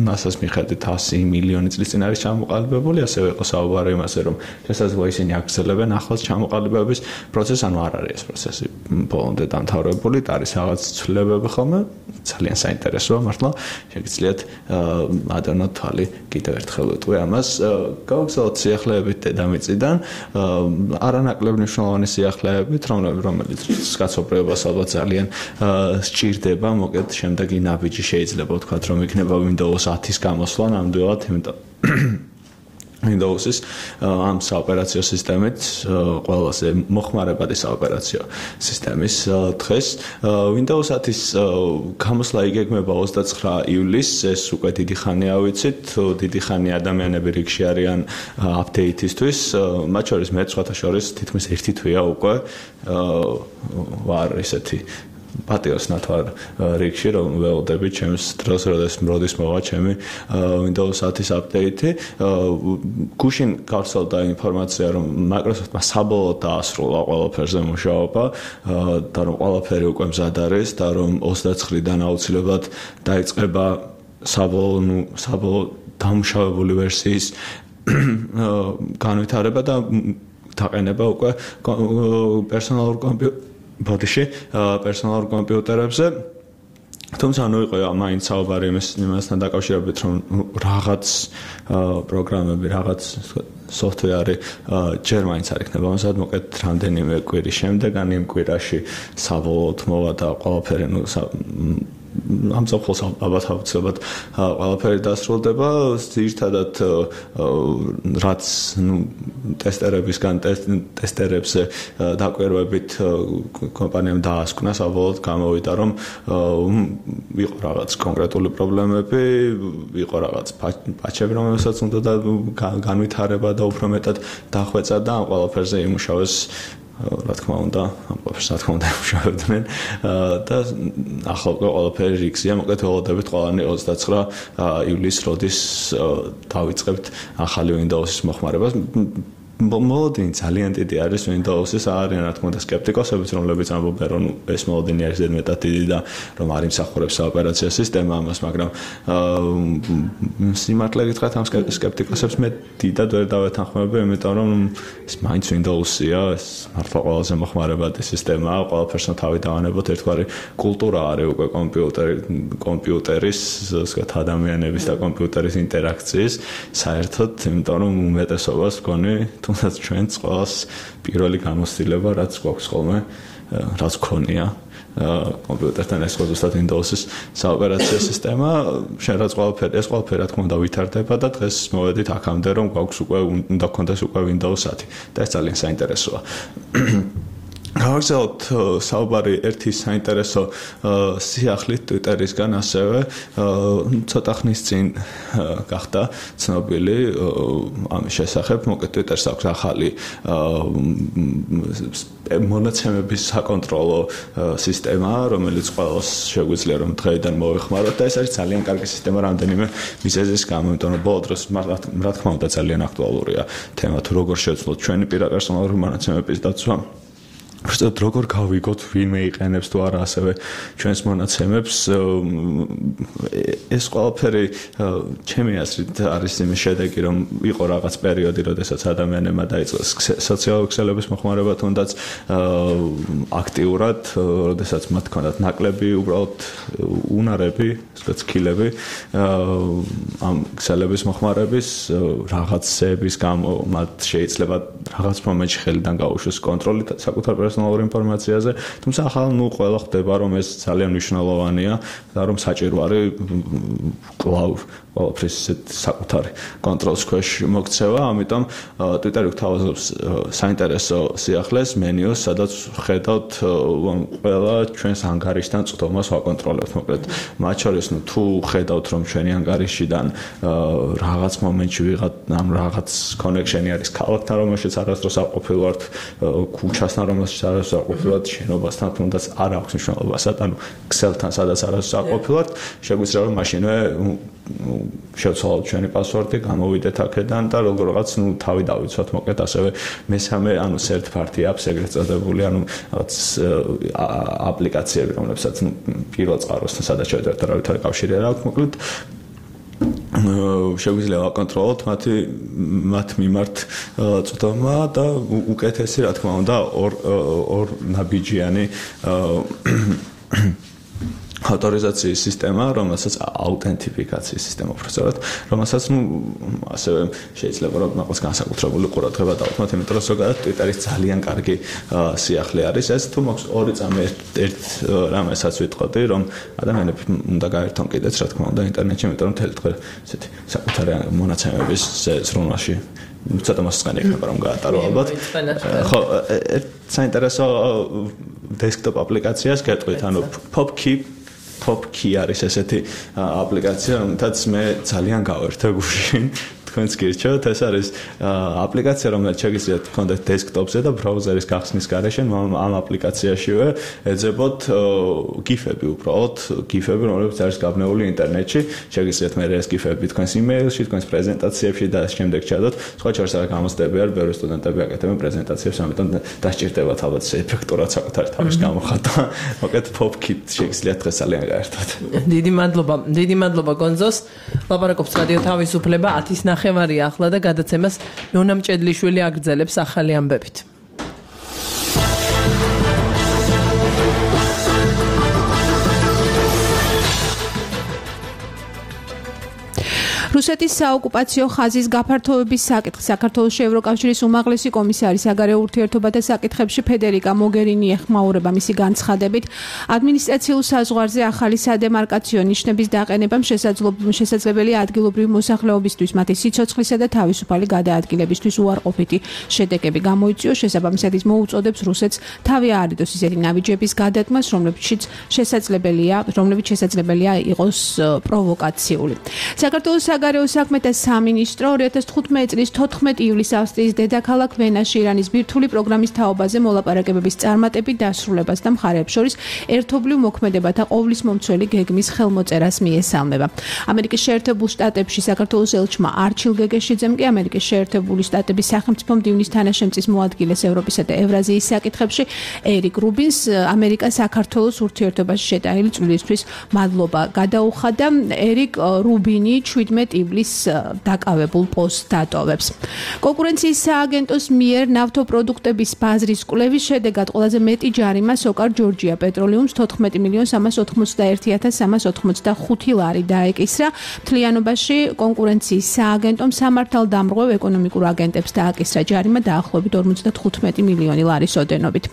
NASA-ს მიხედვით 100 მილიონი წლის წინ არის ჩამოყალიბებული, ასევე იყო საუბარი იმაზე, რომ შესაძლოა ისინი აგრძელებენ ახლოს ჩამოყალიბების პროცესს, ანუ არ არის ეს პროცესი ბოლომდე დამთავრებული, არის რაღაც ცვლილებები ხოლმე, ძალიან საინტერესოა მართლა, შეგიძლიათ ადანოთ თვალი კიდევ ერთხელ ვიტყვი ამას. გავაგზავნოთ სიახლეებით დედამიწიდან, არანაკლებ მნიშვნელოვანი სიახლეებით, რომელიც კაცობრიობას ალბათ ძალიან სჭირდება, მოკეთ შემდეგი ნაბიჯი შეიძლება ვთქვათ, რომ იქნება Windows 10-ის გამოსვლა ნამდვილად, იმიტომ Windows-ის ამ საოპერაციო სისტემით ყველაზე მოხმარებადი საოპერაციო სისტემის დღეს Windows 10-ის გამოსვლა იგეგმება 29 ივლისს, ეს უკვე დიდი ხანია ვიცით, დიდი ხანი ადამიანები რიგში არიან აპდეიტისთვის, მათ შორის მე სხვათა შორის თითქმის ერთი თვეა უკვე ვარ ისეთი პატიოსნად ვარ რიგში, რომ ველოდები ჩემს დროს, როდის მოვა ჩემი Windows 10-ის აპდეიტი. გუშინ გავსწავლდა ინფორმაცია, რომ Microsoft-მა საბოლოოდ დაასრულა ყველაფერზე მუშაობა და რომ ყველაფერი უკვე მზად არის და რომ 29-დან აუცილებლად დაიწყება საბოლოო დამუშავებული ვერსიის განვითარება და დაყენება უკვე პერსონალურ პერსონალურ კომპიუტერებზე. თუმცა იყო მაინც საუბარი იმასთან დაკავშირებით, რომ რაღაც პროგრამები, რაღაც software ჯერ მაინც არ იქნება ამასად მოკეთ რამდენიმე კვირის შემდეგ, ან იმ კვირაში საბოლოოდ მოვა და ყველაფერი ამ საფხულს ალბათ აუცილებლად ყველაფერი დასრულდება. ძირითადად რაც ტესტერებისგან ტესტერებზე დაკვირვებით კომპანიამ დაასკვნა საბოლოოდ გამოვიდა, რომ იყო რაღაც კონკრეტული პრობლემები, იყო რაღაც პაჩები, რომელსაც უნდა განვითარება და უფრო მეტად დახვეწა და ამ ყველაფერზე იმუშავეს რა თქმა უნდა, იმუშავებდნენ და ახლა ყველაფერი რიგზია, მოკეთ ველოდებით ყველანი 29 ივლისს, როდის დავიწყებთ ახალი Windows-ის მოხმარებას. მოლოდინი ძალიან დიდი არის Windows-ის, არიან რა თქმა უნდა სკეპტიკოსებიც, რომლებიც ამბობენ, რომ ეს მოლოდინი არის ზედმეტად დიდი და რომ არ იმსახურებს საოპერაციო სისტემა ამას, მაგრამ სიმართლე გითხრათ, ამ სკეპტიკოსებს მე დიდად ვერ დავეთანხმები, იმიტომ რომ ეს მაინც Windows-ია, ეს მართლა ყველაზე მოხმარებადი სისტემაა, ყველაფერს თავი დავანებოთ, ერთგვარი კულტურა არის უკვე კომპიუტერის, ვთქვათ, ადამიანების და კომპიუტერის ინტერაქციის, საერთოდ, იმიტომ რომ უმეტესობას გქონი თუნდაც ჩვენს ყველას პირველი გამოცდილება, რაც გვაქვს ხოლმე, რაც გქონია კომპიუტერთან ეს ზუსტად Windows-ის საოპერაციო სისტემა, შენ რაც ეს ყველაფერი რა თქმა უნდა ვითარდება და დღეს მოვედით აქამდე, რომ გვაქვს უკვე უნდა გქონდეს უკვე Windows 10 და ეს ძალიან საინტერესოა. გავაგზავნოთ საუბარი ერთი საინტერესო სიახლით Twitter-ისგან, ასევე ცოტა ხნის წინ გახდა ცნობილი ამის შესახებ, მოკეთ Twitter-ს აქვს ახალი მონაცემების საკონტროლო სისტემა, რომელიც ყველას შეგვიძლია რომ დღეიდან მოვეხმაროთ და ეს არის ძალიან კარგი სისტემა რამდენიმე მიზეზის გამო, იმიტომ რომ ბოლო დროს რა თქმა უნდა ძალიან აქტუალურია თემა, თუ როგორ შევცვლოთ ჩვენი პირპერსონალური მონაცემების დაცვა. Просто როგორ გავიგოთ ვინმე იყენებს თუ არა ასევე ჩვენს მონაცემებს, ეს ყველაფერი ჩემი აზრით არის იმის შედეგი, რომ იყო რაღაც პერიოდი, როდესაც ადამიანებმა დაიწყეს სოციალური ქსელების მოხმარება თუნდაც აქტიურად, როდესაც მათ ჰქონდათ ნაკლები უბრალოდ უნარები, ასე სკილები ამ ქსელების მოხმარების რაღაცების გამო მათ შეიძლება რაღაც მომენტში ხელიდან გაუშვეს კონტროლი საკუთარ პერსონალურ ინფორმაციაზე, თუმცა ახლა ყველა ხდება, რომ ეს ძალიან მნიშვნელოვანია და რომ საჭირო არის კლავ ყველაფრის საკუთარი კონტროლის ქვეშ მოქცევა, ამიტომ Twitter-ი გვთავაზობს საინტერესო სიახლეს მენიუს, სადაც ხედავთ ყველა ჩვენს ანგარიშთან წვდომას ვაკონტროლებთ, მოკლედ მათ შორის თუ ხედავთ, რომ ჩვენი ანგარიშიდან რაღაც მომენტში ვიღათ ამ რაღაც კონექშენი არის ქალაქთან, რომელშიც არასდროს არ ყოფილვართ, ქუჩასთან, რომელშიც არასდროს არ ყოფილვართ, შენობასთან, თუნდაც არ აქვს მნიშვნელობას, ანუ ქსელთან, სადაც არასდროს არ ყოფილვართ, შეგვიძლია რომ მაშინვე შევცვალოთ ჩვენი პასვორდი, გამოვიდეთ აქედან და როგორღაც თავი დავიცვათ მოკლედ ასევე მესამე third party apps ეგრეთ წოდებული რაღაც აპლიკაციები რომლებსაც პირველ წყაროსთან სადაც შევედრებთ არავითარი კავშირი არ აქვს მოკლედ შეგვიძლია ვაკონტროლოთ მათ მიმართ წვდომა და უკეთესი რა თქმა უნდა ორ ნაბიჯიანი ავტორიზაციის სისტემა, რომელსაც აუთენტიფიკაციის სისტემა უბრალოდ, რომელსაც ასევე შეიძლება რომ მაგას განსაკუთრებული ყურადღება დავუთმოთ, იმიტომ რომ ზოგადად Twitter-ის ძალიან კარგი სიახლე არის ეს, თუ მაქვს ორი წამი ერთ რამესაც ვიტყოდი, რომ ადამიანები უნდა გაერთონ კიდეც, რა თქმა უნდა, ინტერნეტში, იმიტომ რომ მთელი დღე ესეთი საკუთარი მონაცემების ზრუნვაში ცოტა მოსწყენი იქნება რომ გაატარო ალბათ. ხო, საინტერესო desktop აპლიკაციას გეტყვით, ანუ PopKey არის ესეთი აპლიკაცია, რომელთაც მე ძალიან გავერთე გუშინ. თქვენს გირჩევთ, ეს არის აპლიკაცია, რომელიც შეგიძლიათ გქონდეთ დესკტოპზე და ბრაუზერის გახსნის გარეშე ამ აპლიკაციაშივე ეძებოთ გიფები უბრალოდ, გიფები, რომლებიც არის გაბნეული ინტერნეტში. შეგიძლიათ მე ეს გიფები თქვენს იმეილში, თქვენს პრეზენტაციებში და ამ შემდეგ ჩადოთ. სხვა შორს არა გამოცდები არ, ბევრი სტუდენტები აკეთებენ პრეზენტაციებს, ამიტომ დასჭირდებათ ალბათ ეფექტურად საკუთარი თავის გამოხატვა. მოკლედ PopKey შეგიძლიათ დღეს ძალიან გაერთოთ. დიდი მადლობა გონზოს. ლაპარაკობს რადიო თავისუფლება 10 ნახევარია ახლა და გადაცემას ნონა მჭედლიშვილი აგრძელებს ახალი ამბებით. რუსეთის საოკუპაციო ხაზის გაფართოების საკითხი საქართველოს ევროკავშირის უმაღლესი კომისარი საგარეო ურთიერთობათა საკითხებში ფედერიკა მოგერინი ეხმაურება მისი განცხადებით ადმინისტრაციულ საზღვარზე ახალი სადემარკაციო ნიშნების დაყენებამ შესაძლებელია ადგილობრივი მოსახლეობისთვის მათი სიცოცხლისა და თავისუფალი გადაადგილებისთვის უარყოფითი შედეგები გამოიწვიოს შესაბამისად ის მოუწოდებს რუსეთს თავი აარიდოს ისეთი ნაბიჯების გადადგმას რომლებიც შესაძლებელია იყოს პროვოკაციული. საქართველოს საგარეო საქმეთა სამინისტრო 2015 წლის 14 ივლისს ავსტრიის დედაქალაქ ვენაში ირანის ბირთვული პროგრამის თაობაზე მოლაპარაკებების წარმატებით დასრულებას და მხარეებს შორის ერთობლივ მოქმედებათა ყოვლის მომცველი გეგმის ხელმოწერას მიესალმება. ამერიკის შეერთებულ შტატებში საქართველოს ელჩმა არჩილ გეგეშიძემ კი ამერიკის შეერთებული შტატების სახელმწიფო მდივნის თანაშემწის მოადგილეს ევროპისა და ევრაზიის საკითხებში ერიკ რუბინს ამერიკა საქართველოს ურთიერთობაში შეტანილი წვლილისთვის მადლობა გადაუხადა. ერიკ რუბინი 17 ივლისს დაკავებულ პოსტს დატოვებს. კონკურენციის სააგენტოს მიერ ნავთობპროდუქტების ბაზრის კვლევის შედეგად ყველაზე მეტი ჯარიმა სოკარ ჯორჯია პეტროლიუმს 14,381,385 ლარი დაეკისრა. მთლიანობაში კონკურენციის სააგენტომ სამართალდამრღვევ ეკონომიკურ აგენტებს დააკისრა ჯარიმა დაახლოებით 55 მილიონი ლარის ოდენობით.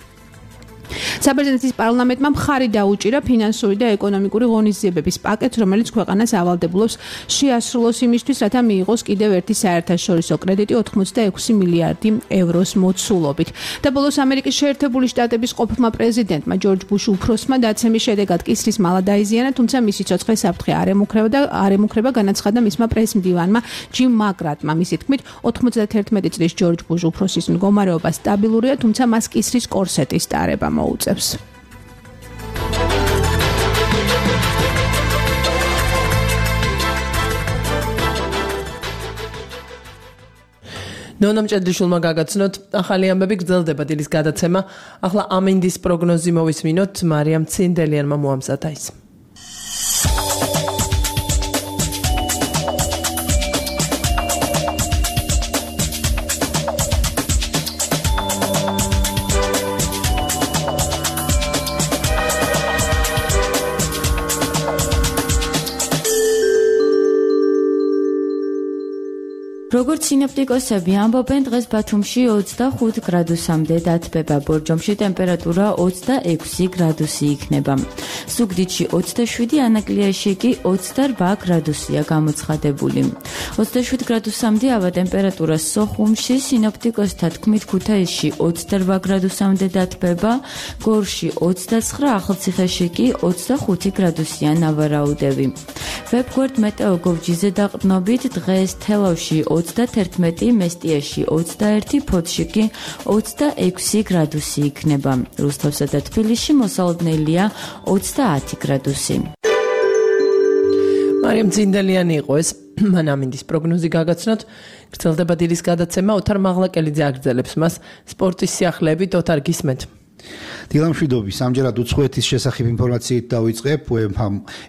საბერძნეთის პარლამენტმა მხარი დაუჭირა ფინანსური და ეკონომიკური ღონისძიებების პაკეტს, რომელიც ქვეყანას ავალდებულებს შეასრულოს იმისთვის, რათა მიიღოს კიდევ ერთი საერთაშორისო კრედიტი 86 მილიარდი ევროს მოცულობით. და ბოლოს ამერიკის შეერთებული შტატების ყოფილმა პრეზიდენტმა ჯორჯ ბუშ უფროსმა დაცემის შედეგად კისრის მალა დაიზიანა, თუმცა მისი ცოცხლი საფრთხე არ ემუქრება, განაცხადა მისმა პრესმდივანმა ჯიმ მაგრატმა. მისი თქმით, 91 წლის ჯორჯ ბუშ უფროსის მდგომარეობა სტაბილურია, თუმცა მას კისრის კორსეტის ტარება მოუწევს. ნონა მჭედლიშვილმა გაგაცნოთ ახალი ამბები გრძელდება დილის გადაცემა. ახლა ამინდის პროგნოზი მოვისმინოთ მარიამ ცინდელიანმა მოამზადა ის. როგორც სინოპტიკოსები ამბობენ, დღეს ბათუმში 25 გრადუსამდე დათბება, ბორჯომში ტემპერატურა 26 გრადუსი იქნება. ზუგდიდში 27, ანაკლიაში კი 28 გრადუსია გამოცხადებული. 27 გრადუსამდე ავა ტემპერატურა სოხუმში, სინოპტიკოსთა თქმით ქუთაისში 28 გრადუსამდე დათბება, გორში 29, ახალციხეში კი 25 გრადუსია ნავარაუდები. ვებგვერდ მეტეოგოვჯიზე დაყრდნობით დღეს თელავში 31, მესტიაში 21, ფოთში კი 26 გრადუსი იქნება. რუსთავსა და თბილისში მოსალოდნელია 30 გრადუსი. მარიამ ძინდელიანი იყო ეს მან ამინდის პროგნოზი გაგაცნოთ გრძელდება დილის გადაცემა ოთარ მაღლაკელიძე აგრძელებს მას სპორტის სიახლეებით ოთარ გისმენთ დილამშვიდობი სამჯერად უცხოეთის შესახებ ინფორმაციით დავიწყებ UEFA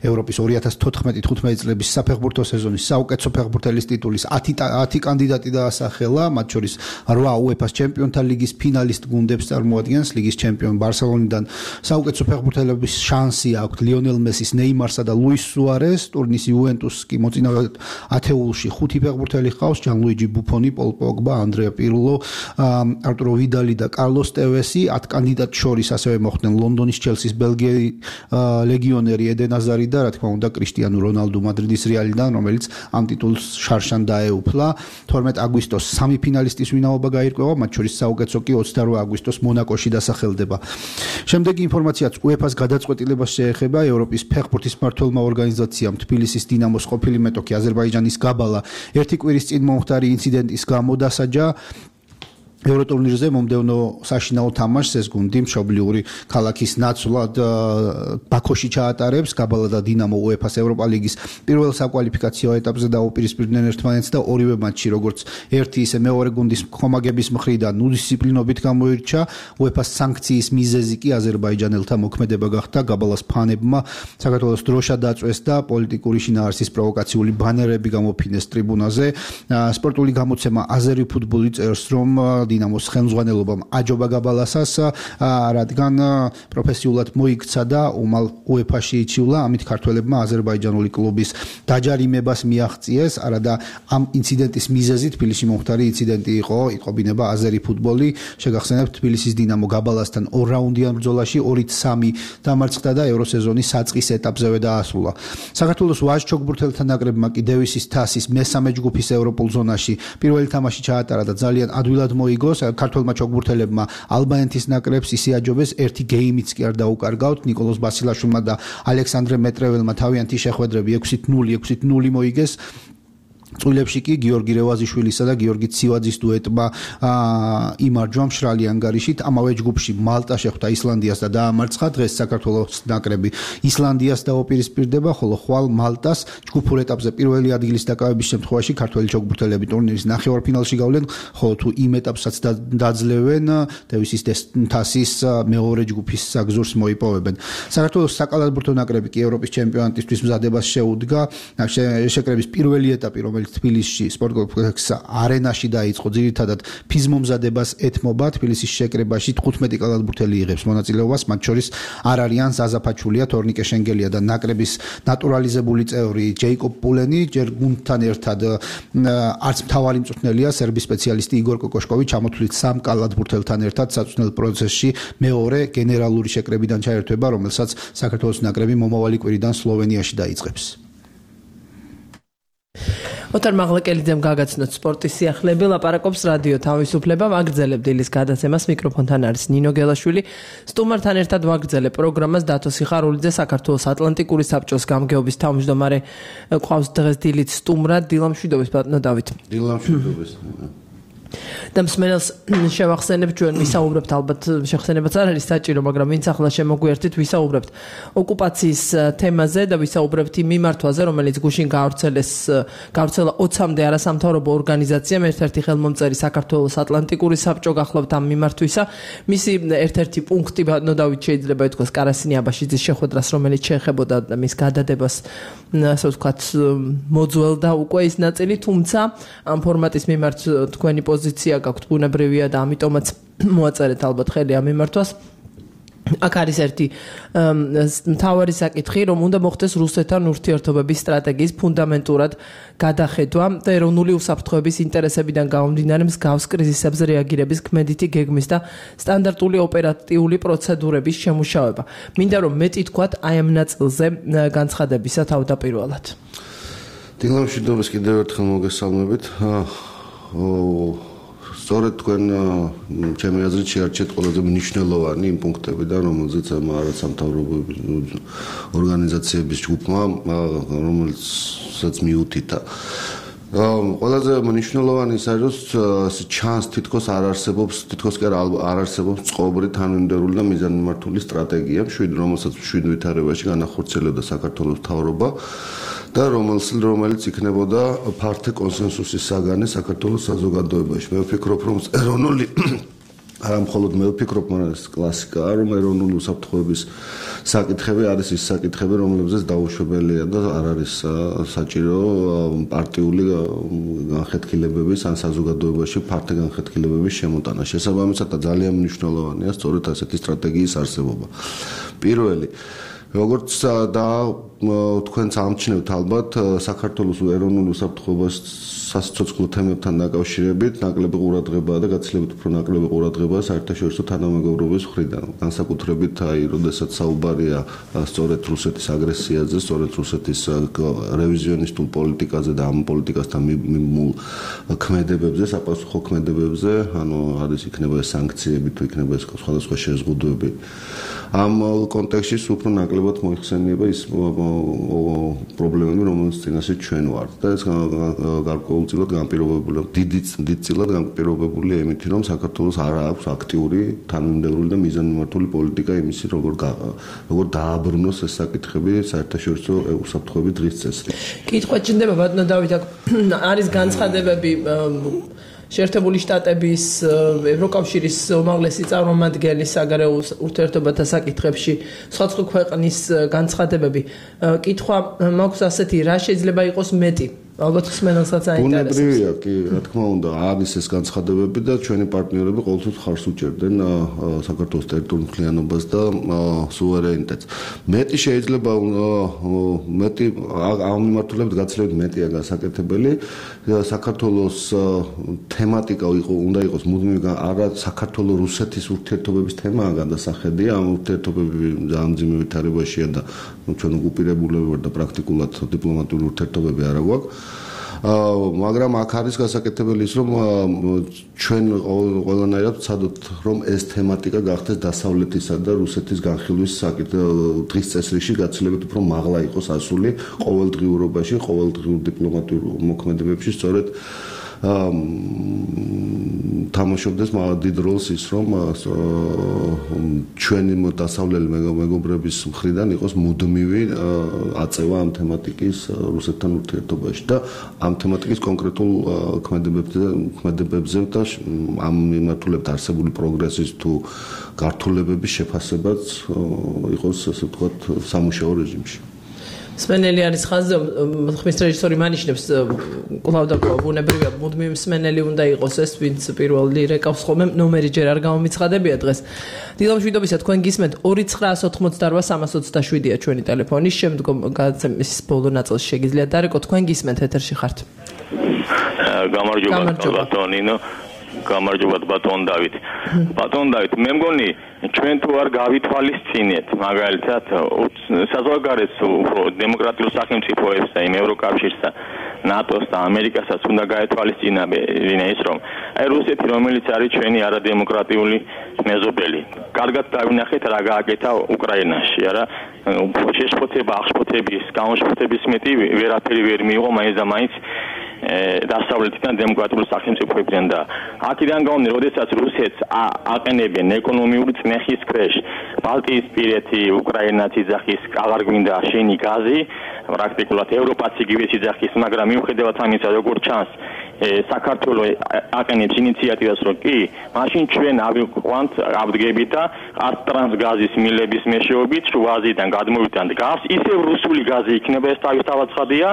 ევროპის 2014-15 წლების საფეხბურთო სეზონის საუკეთესო ფეხბურთელის ტიტულის 10 კანდიდატი დაასახელა მათ შორის 8 UEFA-ს ჩემპიონთა ლიგის ფინალისტ გუნდებს წარმოადგენს ლიგის ჩემპიონ ბარსელონიდან საუკეთესო ფეხბურთელების შანსი აქვს ლიონელ მესის ნეიმარსა და ლუის სუარეს ტურნირის იუვენტუსს კი მოწინავე ათეულში 5 ფეხბურთელი ჰყავს ჯანლუიჯი ბუფონი პოლ პოგბა ანდრეა პირლო არტურო ვიდალი და კარლოს ტევესი 10 კანდიდატ შორის ასევე მოხვდნენ ლონდონის ჩელსის ბელგიელი ლეგიონერი ედენ აზარი და რა თქმა უნდა კრისტიანო რონალდუ მადრიდის რეალიდან რომელიც ამ ტიტულს შარშან დაეუფლა 12 აგვისტოს 3 ფინალისტის ვინაობა გაირკვევა მათ შორის საუკეთესო კი 28 აგვისტოს მონაკოში დასახელდება შემდეგი ინფორმაციაც UEFA-ს გადაწყვეტილებას შეეხება ევროპის ფეხბურთის მმართველმა ორგანიზაციამ თბილისის დინამოს ყოფილი მეტოქი აზერბაიჯანის გაბალა ერთი კვირის წინ მომხდარი ინციდენტის გამო დასაჯა ევროტურნირზე მომდევნო საშინაო თამაშს ეს გუნდი მშობლიური ქალაქის ნაცვლად ბაქოში ჩაატარებს გაბალა და დინამო UEFA-ს ევროპა ლიგის პირველ საკვალიფიკაციო ეტაპზე დაუპირისპირდნენ ერთმანეთს და ორივე მატჩი როგორც ერთი ისე მეორე გუნდის ხომაგების მხრიდან უდისციპლინობით გამოირჩა UEFA-ს სანქციის მიზეზი კი აზერბაიჯანელთა მოქმედება გახდა გაბალას ფანებმა საქართველოს დროშა დაწვეს და პოლიტიკური შინაარსის პროვოკაციული ბანერები გამოფინეს ტრიბუნაზე სპორტული გამოცემა აზერი ფუტბოლი წერს რომ დინამოს ხელმძღვანელობამ აჯობა გაბალასას რადგან პროფესიულად მოიქცა და უმალ UEFA-ში იჩივლა ამით ქართველებმა აზერბაიჯანული კლუბის დაჯარიმებას მიაღწიეს არადა ამ ინციდენტის მიზეზი თბილისში მომხდარი ინციდენტი იყო იყვინება აზერი ფუტბოლი შეგახსენებთ თბილისის დინამო გაბალასთან 2 რაუნდიან ბრძოლაში 2-3 დამარცხდა და ევროსეზონის საწყის ეტაპზევე დაასრულა საქართველოს ვაჟ ჩოგბურთელთა ნაკრებმა კი დევისის თასის მესამე ჯგუფის ევროპულ ზონაში პირველი თამაში ჩაატარა და ძალიან ადვილად მოიგოს ქართველმა ჩოგბურთელებმა ალბანეთის ნაკრებს ისე აჯობეს ერთი გეიმიც კი არ დაუკარგავთ ნიკოლოზ ბასილაშვილმა და ალექსანდრე მეტრეველმა თავიანთი შეხვედრები 6-0 მოიგეს წვილებში კი გიორგი რევაზიშვილისა და გიორგი ცივაძის დუეტმა იმარჯვა მშრალი ანგარიშით ამავე ჯგუფში მალტა შეხვდა ისლანდიას და დაამარცხა დღეს საქართველოს ნაკრები ისლანდიას დაუპირისპირდება ხოლო ხვალ მალტას ჯგუფურ ეტაპზე პირველი ადგილის დაკავების შემთხვევაში ქართველი ჩოგბურთელები ტურნირის ნახევარფინალში გავლენ ხოლო თუ იმ ეტაპსაც დაძლევენ დევისის თასის მეორე ჯგუფის საგზურს მოიპოვებენ საქართველოს საკალათბურთო ნაკრები კი ევროპის ჩემპიონატისთვის მზადებას შეუდგა შეკრების პირველი ეტაპი რომელიც თბილისში სპორტ-კომპლექს არენაში დაიწყო ძირითადად ფიზმომზადებას ეთმობა თბილისის შეკრებაში 15 კალათბურთელი იღებს მონაწილეობას მათ შორის არ არიან ზაზაფაჩულია თორნიკე შენგელია და ნაკრების ნატურალიზებული წევრი ჯეიკობ პულენი ჯერ გუნდთან ერთად არც მთავარი მწვრთნელია სერბი სპეციალისტი იგორ კოკოშკოვი ჩამოთვლით 3 კალათბურთელთან ერთად საწვრთნელ პროცესში მეორე გენერალური შეკრებიდან ჩაერთვება რომელსაც საქართველოს ნაკრები მომავალი კვირიდან სლოვენიაში დაიწყებს ოთარ მაღლაკელიძემ გაგაცნოთ სპორტის სიახლეები ლაპარაკობს რადიო თავისუფლება ვაგრძელებ დილის გადაცემას მიკროფონთან არის ნინო გელაშვილი სტუმართან ერთად ვაგრძელებ პროგრამას დათო სიხარულიძე საქართველოს ატლანტიკური საბჭოს გამგეობის თავმჯდომარე ყავს დღეს დილით სტუმრად დილამშვიდობის ბატონო დავით დილამშვიდობის და მსმენელს შევახსენებ ჩვენ ვისაუბრებთ ალბათ შეხსენებაც არ არის საჭირო მაგრამ ვინც ახლა შემოგვიერთით ვისაუბრებთ ოკუპაციის თემაზე და ვისაუბრებთ იმ მიმართვაზე რომელიც გუშინ გავრცელა 20-მდე არასამთავრობო ორგანიზაციამ ერთ-ერთი ხელმომწერი საქართველოს ატლანტიკური საბჭო გახლავთ ამ მიმართვისა მისი ერთ-ერთი პუნქტი ბატონო დავით შეიძლება ითქვას კარასინი აბაშიძის შეხვედრას რომელიც შეეხებოდა მის გადადებას ასე ვთქვათ მოძველდა უკვე ის ნაწილი თუმცა ამ ფორმატის მიმართ თქვენი პოზიცია გაქვთ ბუნებრივია და ამიტომაც მოაწერეთ ალბათ ხელი ამ მიმართვას აქ არის ერთი მთავარი საკითხი რომ უნდა მოხდეს რუსეთთან ურთიერთობების სტრატეგიის ფუნდამენტურად გადახედვა და ეროვნული უსაფრთხოების ინტერესებიდან გამომდინარე მსგავს კრიზისებზე რეაგირების ქმედითი გეგმის და სტანდარტული ოპერატიული პროცედურების შემუშავება მინდა რომ მეტი თქვათ აი ამ ნაწილზე განცხადებისა თავდაპირველად დილამშვიდობის კიდევ ერთხელ მოგესალმებით სწორედ თქვენ ჩემი აზრით შეარჩიეთ ყველაზე მნიშვნელოვანი იმ პუნქტებიდან, რომელზეც არასამთავრობო ორგანიზაციების ჯგუფმა, რომელსაც მიუთითა. ყველაზე მნიშვნელოვანი ის არის, რომ ჩანს თითქოს არ არსებობს, თითქოს კი არ არსებობს წყობრი თანმიმდევრული და მიზანმიმართული სტრატეგია, რომელსაც მშვიდ ვითარებაში განახორციელებდა საქართველოს მთავრობა. და რომელიც იქნებოდა ფართე კონსენსუსის საგანი საქართველოს საზოგადოებაში. მე ვფიქრობ, რომ ეროვნული არა მხოლოდ მე ვფიქრობ, მაგრამ ეს კლასიკაა, რომ ეროვნული უსაფრთხოების საკითხები არის ის საკითხები, რომლებზეც დაუშვებელია და არ არის საჭირო პარტიული განხეთქილებების ან საზოგადოებაში ფართე განხეთქილებების შემოტანა. შესაბამისად, ძალიან მნიშვნელოვანია სწორედ ასეთი სტრატეგიის არსებობა. პირველი როგორც და თქვენც ამჩნევთ ალბათ საქართველოს ეროვნულ უსაფრთხოებას სასიცოცხლო თემებთან დაკავშირებით ნაკლები ყურადღებაა და გაცილებით უფრო ნაკლები ყურადღებაა საერთაშორისო თანამეგობრობის მხრიდან. განსაკუთრებით როდესაც საუბარია სწორედ რუსეთის აგრესიაზე, სწორედ რუსეთის რევიზიონისტულ პოლიტიკაზე და ამ პოლიტიკასთან მიმულ ქმედებებზე, საპასუხო ქმედებებზე, ანუ არის იქნება ეს სანქციები თუ იქნება ეს სხვადასხვა შეზღუდვები. ამ კონტექსტში უფრო ნაკლებად მოიხსენიება ის პრობლემები, რომელსაც წინაშე ჩვენ ვართ და ეს გარკვეულწილად განპირობებულია, დიდწილად განპირობებულია იმით, რომ საქართველოს არ აქვს აქტიური, თანმიმდევრული და მიზანმიმართული პოლიტიკა იმისი, როგორ დააბრუნოს ეს საკითხები საერთაშორისო უსაფრთხოების დღის წესრიგში. კითხვა ჭირდება ბატონო დავით, არის განცხადებები შეერთებული შტატების ევროკავშირის უმაღლესი წარმომადგენლის საგარეო ურთიერთობათა საკითხებში სხვა ქვეყნის განცხადებები. კითხვა მაქვს ასეთი, რა შეიძლება იყოს მეტი? ალბათ ხსმენელსაც აინტერესებს. ბუნებრივია კი, რა თქმა უნდა, არის ეს განცხადებები და ჩვენი პარტნიორები ყოველთვის ხარს უჭერდნენ საქართველოს ტერიტორიულ მთლიანობას და სუვერენიტეტს. მეტი შეიძლება მეტი ამ მიმართულებით გაცილებით მეტია გასაკეთებელი. საქართველოს თემატიკა უნდა იყოს მუდმივი არა საქართველოს-რუსეთის ურთიერთობების თემაა გადასახედია. ამ ურთიერთობები ძალიან მძიმე ვითარებაშია და ჩვენ უკუპირებულები ვართ და პრაქტიკულად დიპლომატიური ურთიერთობები არ აქვს. მაგრამ აქ არის გასაკეთებელი ის, რომ ჩვენ ყველანაირად ვცადოთ, რომ ეს თემატიკა გახდეს დასავლეთისა და რუსეთის განხილვის დღის წესრიგში გაცილებით უფრო მაღლა იყოს ასული ყოველდღიურობაში, ყოველდღიურ დიპლომატიურ მოქმედებებში, სწორედ თამაშობდეს დიდ როლს ის, რომ ჩვენი დასავლელი მეგობრების მხრიდან იყოს მუდმივი აწევა ამ თემატიკის რუსეთთან ურთიერთობაში და ამ თემატიკის კონკრეტულ ქმედებებზე და ამ მიმართულებით არსებული პროგრესის თუ გართულებების შეფასებაც იყოს, ასე ვთქვათ, სამუშაო რეჟიმში. მსმენელი არის ხაზზე, ხმის რეჟისორი მანიშნებს კვლავ და კვლავ ბუნებრივია მუდმივი მსმენელი უნდა იყოს ეს, ვინც პირველი რეკავს ხოლმე ნომერი ჯერ არ გამომიცხადებია დღეს. დილამშვიდობისა, თქვენ გისმენთ 2988327-ია ჩვენი ტელეფონი, შემდგომ გადაცემის ბოლო ნაწილში შეგიძლიათ დარეკოთ, თქვენ გისმენთ ეთერში ხართ. გამარჯობა ბატონინო. გამარჯობა ბატონ დავით. ბატონ დავით, მე მგონი ჩვენ თუ არ გავითვალისწინეთ მაგალითად საზღვარგარეთ უფრო დემოკრატიულ სახელმწიფოებს და იმ ევროკავშირს და ნატოს და ამერიკასაც უნდა გაეთვალისწინებინა ის, რომ აი რუსეთი, რომელიც არის ჩვენი არადემოკრატიული მეზობელი, კარგად დავინახეთ რა გააკეთა უკრაინაში, არა? შეშფოთება, აღშფოთების, გამოშფოთების მეტი ვერაფერი ვერ მიიღო მაინც და მაინც დასავლეთიდან დემოკრატიულ სახელმწიფოებიდან და აქედან გამომდინარე, როდესაც რუსეთს აყენებენ ეკონომიური წნეხის ქვეშ, ბალტიისპირეთი, უკრაინა ციხის აღარ გვინდა შენი გაზი, პრაქტიკულად ევროპაც იგივე ციხის, მაგრამ მიუხედავად ამისა, როგორც ჩანს, საქართველოს აყენებს ინიციატივას, რომ კი, მაშინ ჩვენ ავიყვანთ ავდგებით და ტრანსგაზის მილების მეშვეობით შუა აზიიდან გადმოვიტანთ გაზს, ისევ რუსული გაზი იქნება, ეს თავისთავად ცხადია,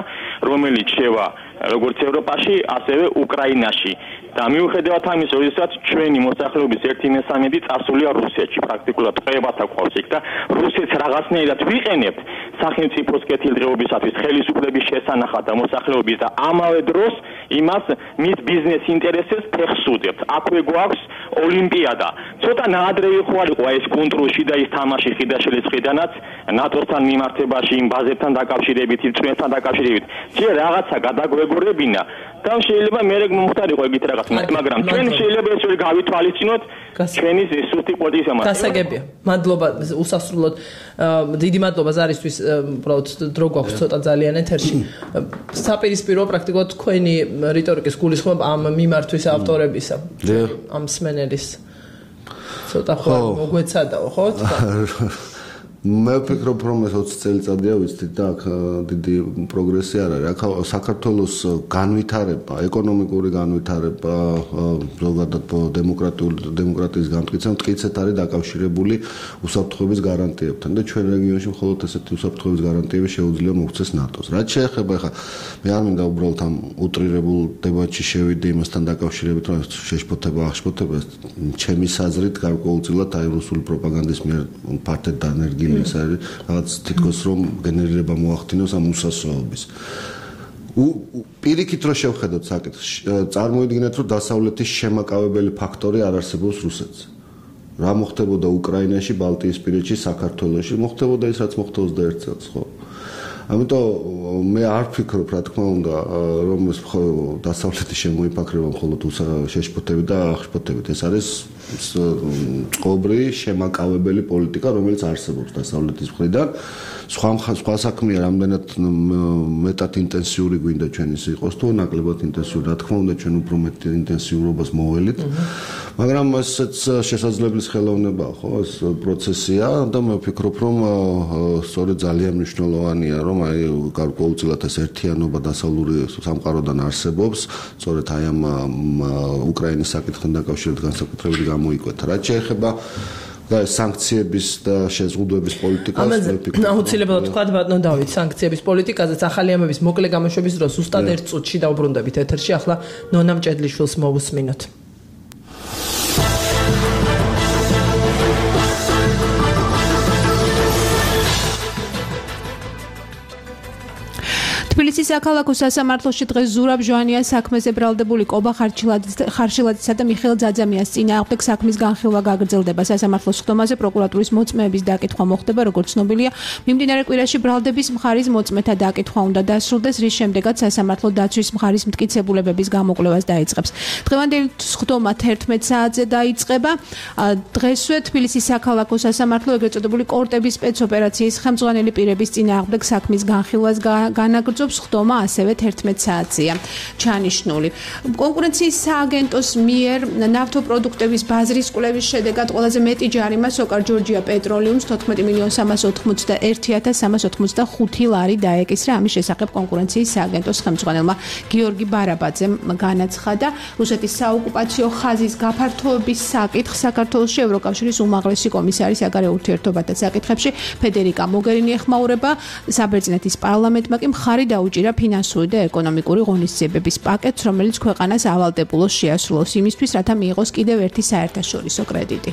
რომელიც შევა როგორც ევროპაში, ასევე უკრაინაში. და მიუხედავად ამისა, როდესაც ჩვენი მოსახლეობის 1/3 წასულია რუსეთში, პრაქტიკულად ყრებათა ყავს იქ და რუსეთს რაღაცნაირად ვიყენებთ სახელმწიფოს კეთილდღეობისათვის, ხელისუფლების შესანახად და მოსახლეობის და ამავე დროს იმას მის ბიზნეს ინტერესებს ფეხს უდევთ. აქვე გვაქვს ოლიმპიადა. ცოტა ნაადრევი ხო არ იყო ეს კონტროლში და ის თამაში ხიდაშელის ხიდანაც ნატოსთან მიმართებაში, იმ ბაზებთან დაკავშირებით, იმ წვენთან დაკავშირებით. ჯერ რაღაცა გადაგვეგორებინა და შეიძლება მე მომხდარიყო ეგეთ რაღაც, მაგრამ ჩვენ შეიძლება ეს ვერ გავითვალისწინოთ ჩვენი სუსტი პოლიტიკის ამას. გასაგებია. მადლობა უსასრულოდ. დიდი მადლობა ზარისთვის, უბრალოდ დრო გვაქვს ცოტა ძალიან ეთერში. საპირისპირო პრაქტიკულად თქვენი რიტორიკის გულისხმობ ამ მიმართვის ავტორებისა. ამ სმენელის. ცოტა ხო მოგვეცადაო, ხო? მე ვფიქრობ, რომ ეს 20 წელიწადია ვიცით და აქ დიდი პროგრესი არ არის. აქ საქართველოს განვითარება, ეკონომიკური განვითარება, ზოგადად დემოკრატიის განმტკიცება მტკიცედ არის დაკავშირებული უსაფრთხოების გარანტიებთან და ჩვენ რეგიონში მხოლოდ ესეთი უსაფრთხოების გარანტიები შეუძლია მოგვცეს ნატოს. რაც შეეხება ახლა მე არ მინდა უბრალოდ ამ უტრირებულ დებატში შევიდე იმასთან დაკავშირებით, რომ შეშფოთება, აღშფოთება, ჩემი საზრით გარკვეულწილად აი რუსული პროპაგანდის მიერ ფართედ დანერგილი ეს არის რაღაც თითქოს რომ გენერირება მოახდინოს ამ უსასოობის. პირიქით რო შევხედოთ საკითხს, წარმოიდგინეთ რომ დასავლეთის შემაკავებელი ფაქტორი არ არსებობს რუსეთს. რა მოხდებოდა უკრაინაში, ბალტიისპირეთში, საქართველოში, მოხდებოდა ის რაც მოხდა 21 წელს, ხო? ამიტომ მე არ ვფიქრობ, რა თქმა უნდა, რომ ეს დასავლეთის შემოიფაქრება მხოლოდ შეშფოთებით და აღშფოთებით. ეს არის წყობრი შემაკავებელი პოლიტიკა, რომელიც არსებობს დასავლეთის მხრიდან. სხვა საქმეა, რამდენად მეტად ინტენსიური გვინდა ჩვენ ის იყოს, თუ ნაკლებად ინტენსიური. რა თქმა უნდა, ჩვენ უფრო მეტ ინტენსიურობას მოველით. მაგრამ ესეც შესაძლებლის ხელოვნებაა, ხო, ეს პროცესია და მე ვფიქრობ, რომ სწორედ ძალიან მნიშვნელოვანია, რომ აი გარკვეულწილად ეს ერთიანობა დასავლური სამყაროდან არსებობს, სწორედ აი ამ უკრაინის საკითხთან დაკავშირებით განსაკუთრებით გამოიკვეთა. რაც შეეხება და სანქციების და შეზღუდვების პოლიტიკას მე ვფიქრობ. აუცილებლად თქვა ბატონო დავით, სანქციების პოლიტიკაზეც ახალი ამების მოკლე გამოშვების დროს ზუსტად 1 წუთში დავბრუნდებით ეთერში. ახლა ნონა მჭედლიშვილს მოვუსმინოთ. თბილისის საქალაქო სასამართლოში დღეს ზურაბ ჟვანიას საქმეზე ბრალდებული კობა ხარშილაძისა და მიხეილ ძაძამიანის წინააღმდეგ საქმის განხილვა გაგრძელდება. სასამართლოს ხდომაზე პროკურატურის მოწმეების დაკითხვა მოხდება, როგორც ცნობილია, მიმდინარე კვირაში ბრალდების მხარის მოწმეთა დაკითხვა უნდა დასრულდეს, რის შემდეგაც სასამართლო დაცვის მხარის მტკიცებულებების გამოკვლევას დაიწყებს. დღევანდელი ხდომა 11 საათზე დაიწყება. დღესვე თბილისის საქალაქო სასამართლო ეგრეთ წოდებული კორტების სპეცოპერაციის ხელმძღვანელი პირების წინააღმდეგ საქმის განხილვას განაგრძობს. ხდომა ასევე 11 საათზეა ჩანიშნული. კონკურენციის სააგენტოს მიერ ნავთობპროდუქტების ბაზრის კვლევის შედეგად ყველაზე მეტი ჯარიმა სოკარ ჯორჯია პეტროლიუმს 14.381.385 ლარი დაეკისრა. ამის შესახებ კონკურენციის სააგენტოს ხელმძღვანელმა გიორგი ბარაბაძემ განაცხადა. რუსეთის საოკუპაციო ხაზის გაფართოების საკითხს საქართველოში ევროკავშირის უმაღლესი კომისარი საგარეო ურთიერთობათა საკითხებში ფედერიკა მოგერინი ეხმაურება. საბერძნეთის პარლამენტმა კი მხარი დაუჭირა ფინანსური და ეკონომიკური ღონისძიებების პაკეტს, რომელიც ქვეყანას ავალდებულოს შეასრულოს იმისთვის, რათა მიიღოს კიდევ ერთი საერთაშორისო კრედიტი.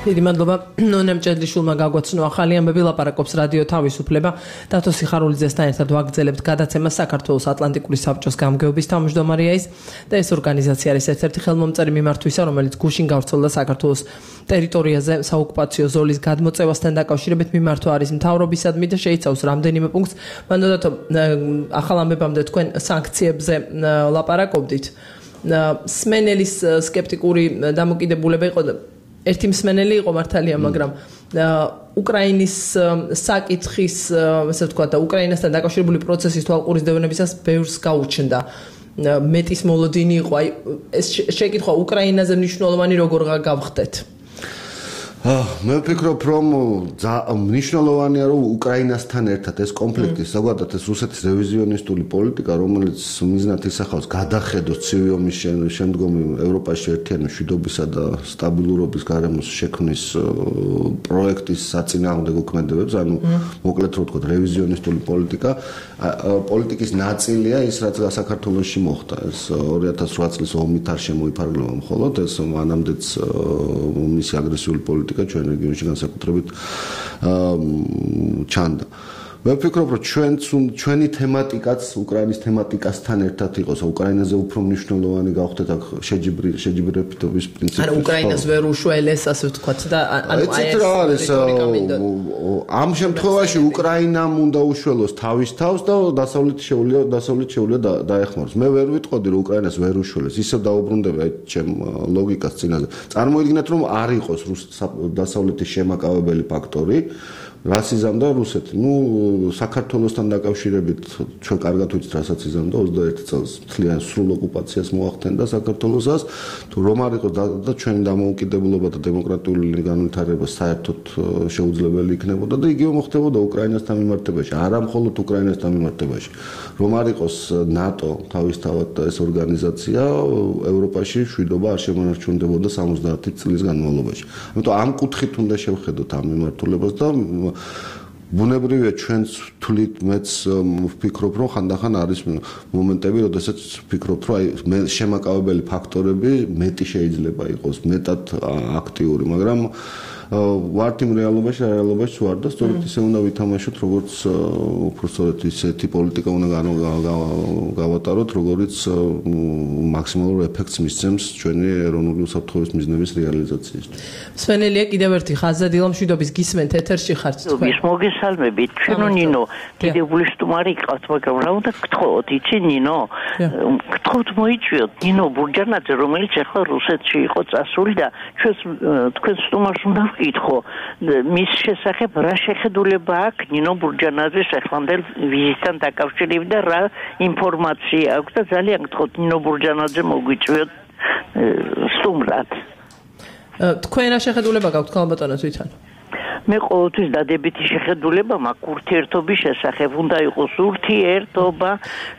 დიდი მადლობა ნონა მჭედლიშვილმა გაგვაცნო ახალი ამბები. ლაპარაკობს რადიო თავისუფლება. დათო სიხარულიძესთან ერთად ვაგრძელებთ გადაცემას. საქართველოს ატლანტიკური საბჭოს გამგეობის თავმჯდომარეა ის და ეს ორგანიზაცია არის ერთ-ერთი ხელმომწერი მიმართვისა, რომელიც გუშინ გავრცელდა საქართველოს ტერიტორიაზე საოკუპაციო ზოლის გადმოწევასთან დაკავშირებით. მიმართვა არის მთავრობისადმი და შეიცავს რამდენიმე პუნქტს. მანდოდათო ახალ ამბებამდე თქვენ სანქციებზე ლაპარაკობდით. სმენელის სკეპტიკური დამოკიდებულება იყო ერთი მსმენელი იყო მართალია, მაგრამ უკრაინის საკითხის, ასე ვთქვათ, და უკრაინასთან დაკავშირებული პროცესის თვალყურისდევნებისას ბევრს გაუჩნდა. მეტის მოლოდინი იყო, აი ეს შეკითხვა უკრაინაზე მნიშვნელოვანი როგორ გავხდეთ? მე ვფიქრობ, რომ მნიშვნელოვანია, რომ უკრაინასთან ერთად ეს კონფლიქტი, ზოგადად ეს რუსეთის რევიზიონისტული პოლიტიკა, რომელიც მიზნად ისახავს გადახედოს ცივი ომის შემდგომი ევროპაში ერთიანი მშვიდობისა და სტაბილურობის გარემოს შექმნის პროექტის საწინააღმდეგო ქმედებებს, ანუ მოკლედ რო ვთქვათ, რევიზიონისტული პოლიტიკის ნაწილია ის, რაც საქართველოში მოხდა. ეს 2008 წლის ომით არ შემოიფარგლება მხოლოდ, ეს მანამდეც მისი აგრესიული პოლიტიკა ჩვენ რეგიონში განსაკუთრებით ჩანდა. მე ვფიქრობ, რომ ჩვენი თემატიკაც უკრაინის თემატიკასთან ერთად იყოს, უკრაინაზე უფრო მნიშვნელოვანი გავხდეთ აქ შეჯიბრებითობის პრინციპი. ანუ უკრაინას ვერ უშველეს, ასე ვთქვათ და ანუ აი ეს ამ შემთხვევაში უკრაინამ უნდა უშველოს თავის თავს და დასავლეთ შეუძლია დაეხმაროს. მე ვერ ვიტყოდი, რომ უკრაინას ვერ უშველეს, ისევ დაუბრუნდება ჩემ ლოგიკას წინაზე. წარმოიდგინეთ, რომ არ იყოს დასავლეთის შემაკავებელი ფაქტორი, რას იზამდა რუსეთი? საქართველოსთან დაკავშირებით ჩვენ კარგად ვიცით, რასაც იზამდა 21 წელს მთლიან სრულ ოკუპაციას მოახდენდა საქართველოსაც. თუ რომ არ იყო და ჩვენი დამოუკიდებლობა და დემოკრატიული განვითარება საერთოდ შეუძლებელი იქნებოდა და იგივე მოხდებოდა უკრაინასთან მიმართებაში, არა მხოლოდ უკრაინასთან მიმართებაში. რომ არ იყოს ნატო თავისთავად ეს ორგანიზაცია ევროპაში შვიდობა არ შემონარჩუნდებოდა 70 წლის განმავლობაში. ამიტომ ამ კუთხით უნდა შევხედოთ ამ მიმართულებას და ბუნებრივია ჩვენც თვლით მეც ვფიქრობ რომ ხანდახან არის მომენტები როდესაც ვფიქრობ რომ აი შემაკავებელი ფაქტორები მეტი შეიძლება იყოს მეტად აქტიური მაგრამ ვართ იმ რეალობაში ვარ და სწორედ ისე უნდა ვითამაშოთ როგორც უბრალოდ ისეთი პოლიტიკა უნდა გავატაროთ როგორც მაქსიმალურ ეფექტს მისცემს ჩვენი ეროვნული უსაფრთხოების მიზნების რეალიზაციისთვის. სვენელია კიდევ ერთი ხაზა დილამშვიდობის გისმენთ ეთერში ხართ თქვენ. ის მოგესალმებით. ჩვენო ნინო დიდებული სტუმარი გყავთ მაგრამ რა უნდა გთხოვოთ იცი ნინო? გთხოვთ მოიწვიოთ ნინო ბურჯანაძე რომელიც ახლა რუსეთში იყო წასული და ჩვენს თქვენ სტუმარს უნდა ვკითხო მის შესახებ რა შეხედულება აქვს ნინო ბურჯანაძის ახლანდელ ვიზიტთან დაკავშირებით და რა ინფორმაცია აქვს და ძალიან გთხოვთ ნინო ბურჯანაძე მოგვიწვიოთ სტუმრად. თქვენ რა შეხედულება გაქვთ ქალბატონო თვითონ? მე ყოველთვის დადებითი შეხედულება მაქვს ურთიერთობის შესახებ. უნდა იყოს ურთიერთობა,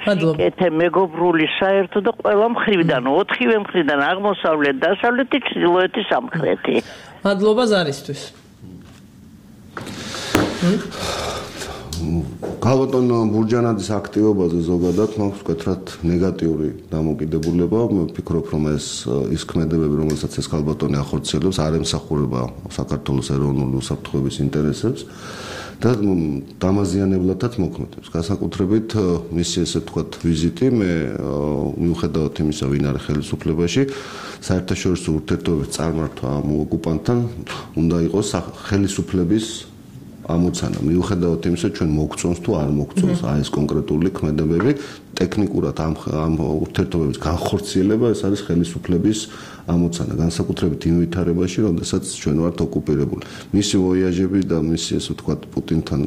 სიკეთე, მეგობრული, საერთო და ყველა მხრიდან, 4-ვე მხრიდან, აღმოსავლეთ, დასავლეთი, ჩრდილოეთი, სამხრეთი. მადლობა ზარისთვის. ქალბატონ ბურჯანაძის აქტივობაზე ზოგადად მაქვს ვკეთრად ნეგატიური დამოკიდებულება. მე ვფიქრობ, რომ ის ქმედებები, რომელსაც ეს ქალბატონი ახორციელებს, არ ემსახურება საქართველოს ეროვნული უსაფრთხოების ინტერესებს და დამაზიანებლადაც მოქმედებს. განსაკუთრებით მისი ესე ვთქვათ ვიზიტი, მე მიუხედავად იმისა, ვინ არის ხელისუფლებაში, საერთაშორისო ურთიერთობების წარმართვა ამ ოკუპანტთან უნდა იყოს ხელისუფლების ამოცანა. მიუხედავად იმისა, ჩვენ მოგწონს თუ არ მოგწონს ეს კონკრეტული ქმედებები, ტექნიკურად ამ ურთიერთობების განხორციელება ეს არის ხელისუფლების ამოცანა, განსაკუთრებით იმ ვითარებაში, როდესაც ჩვენ ვართ ოკუპირებული. მისი ვოიაჟები და მისი ესე ვთქვათ პუტინთან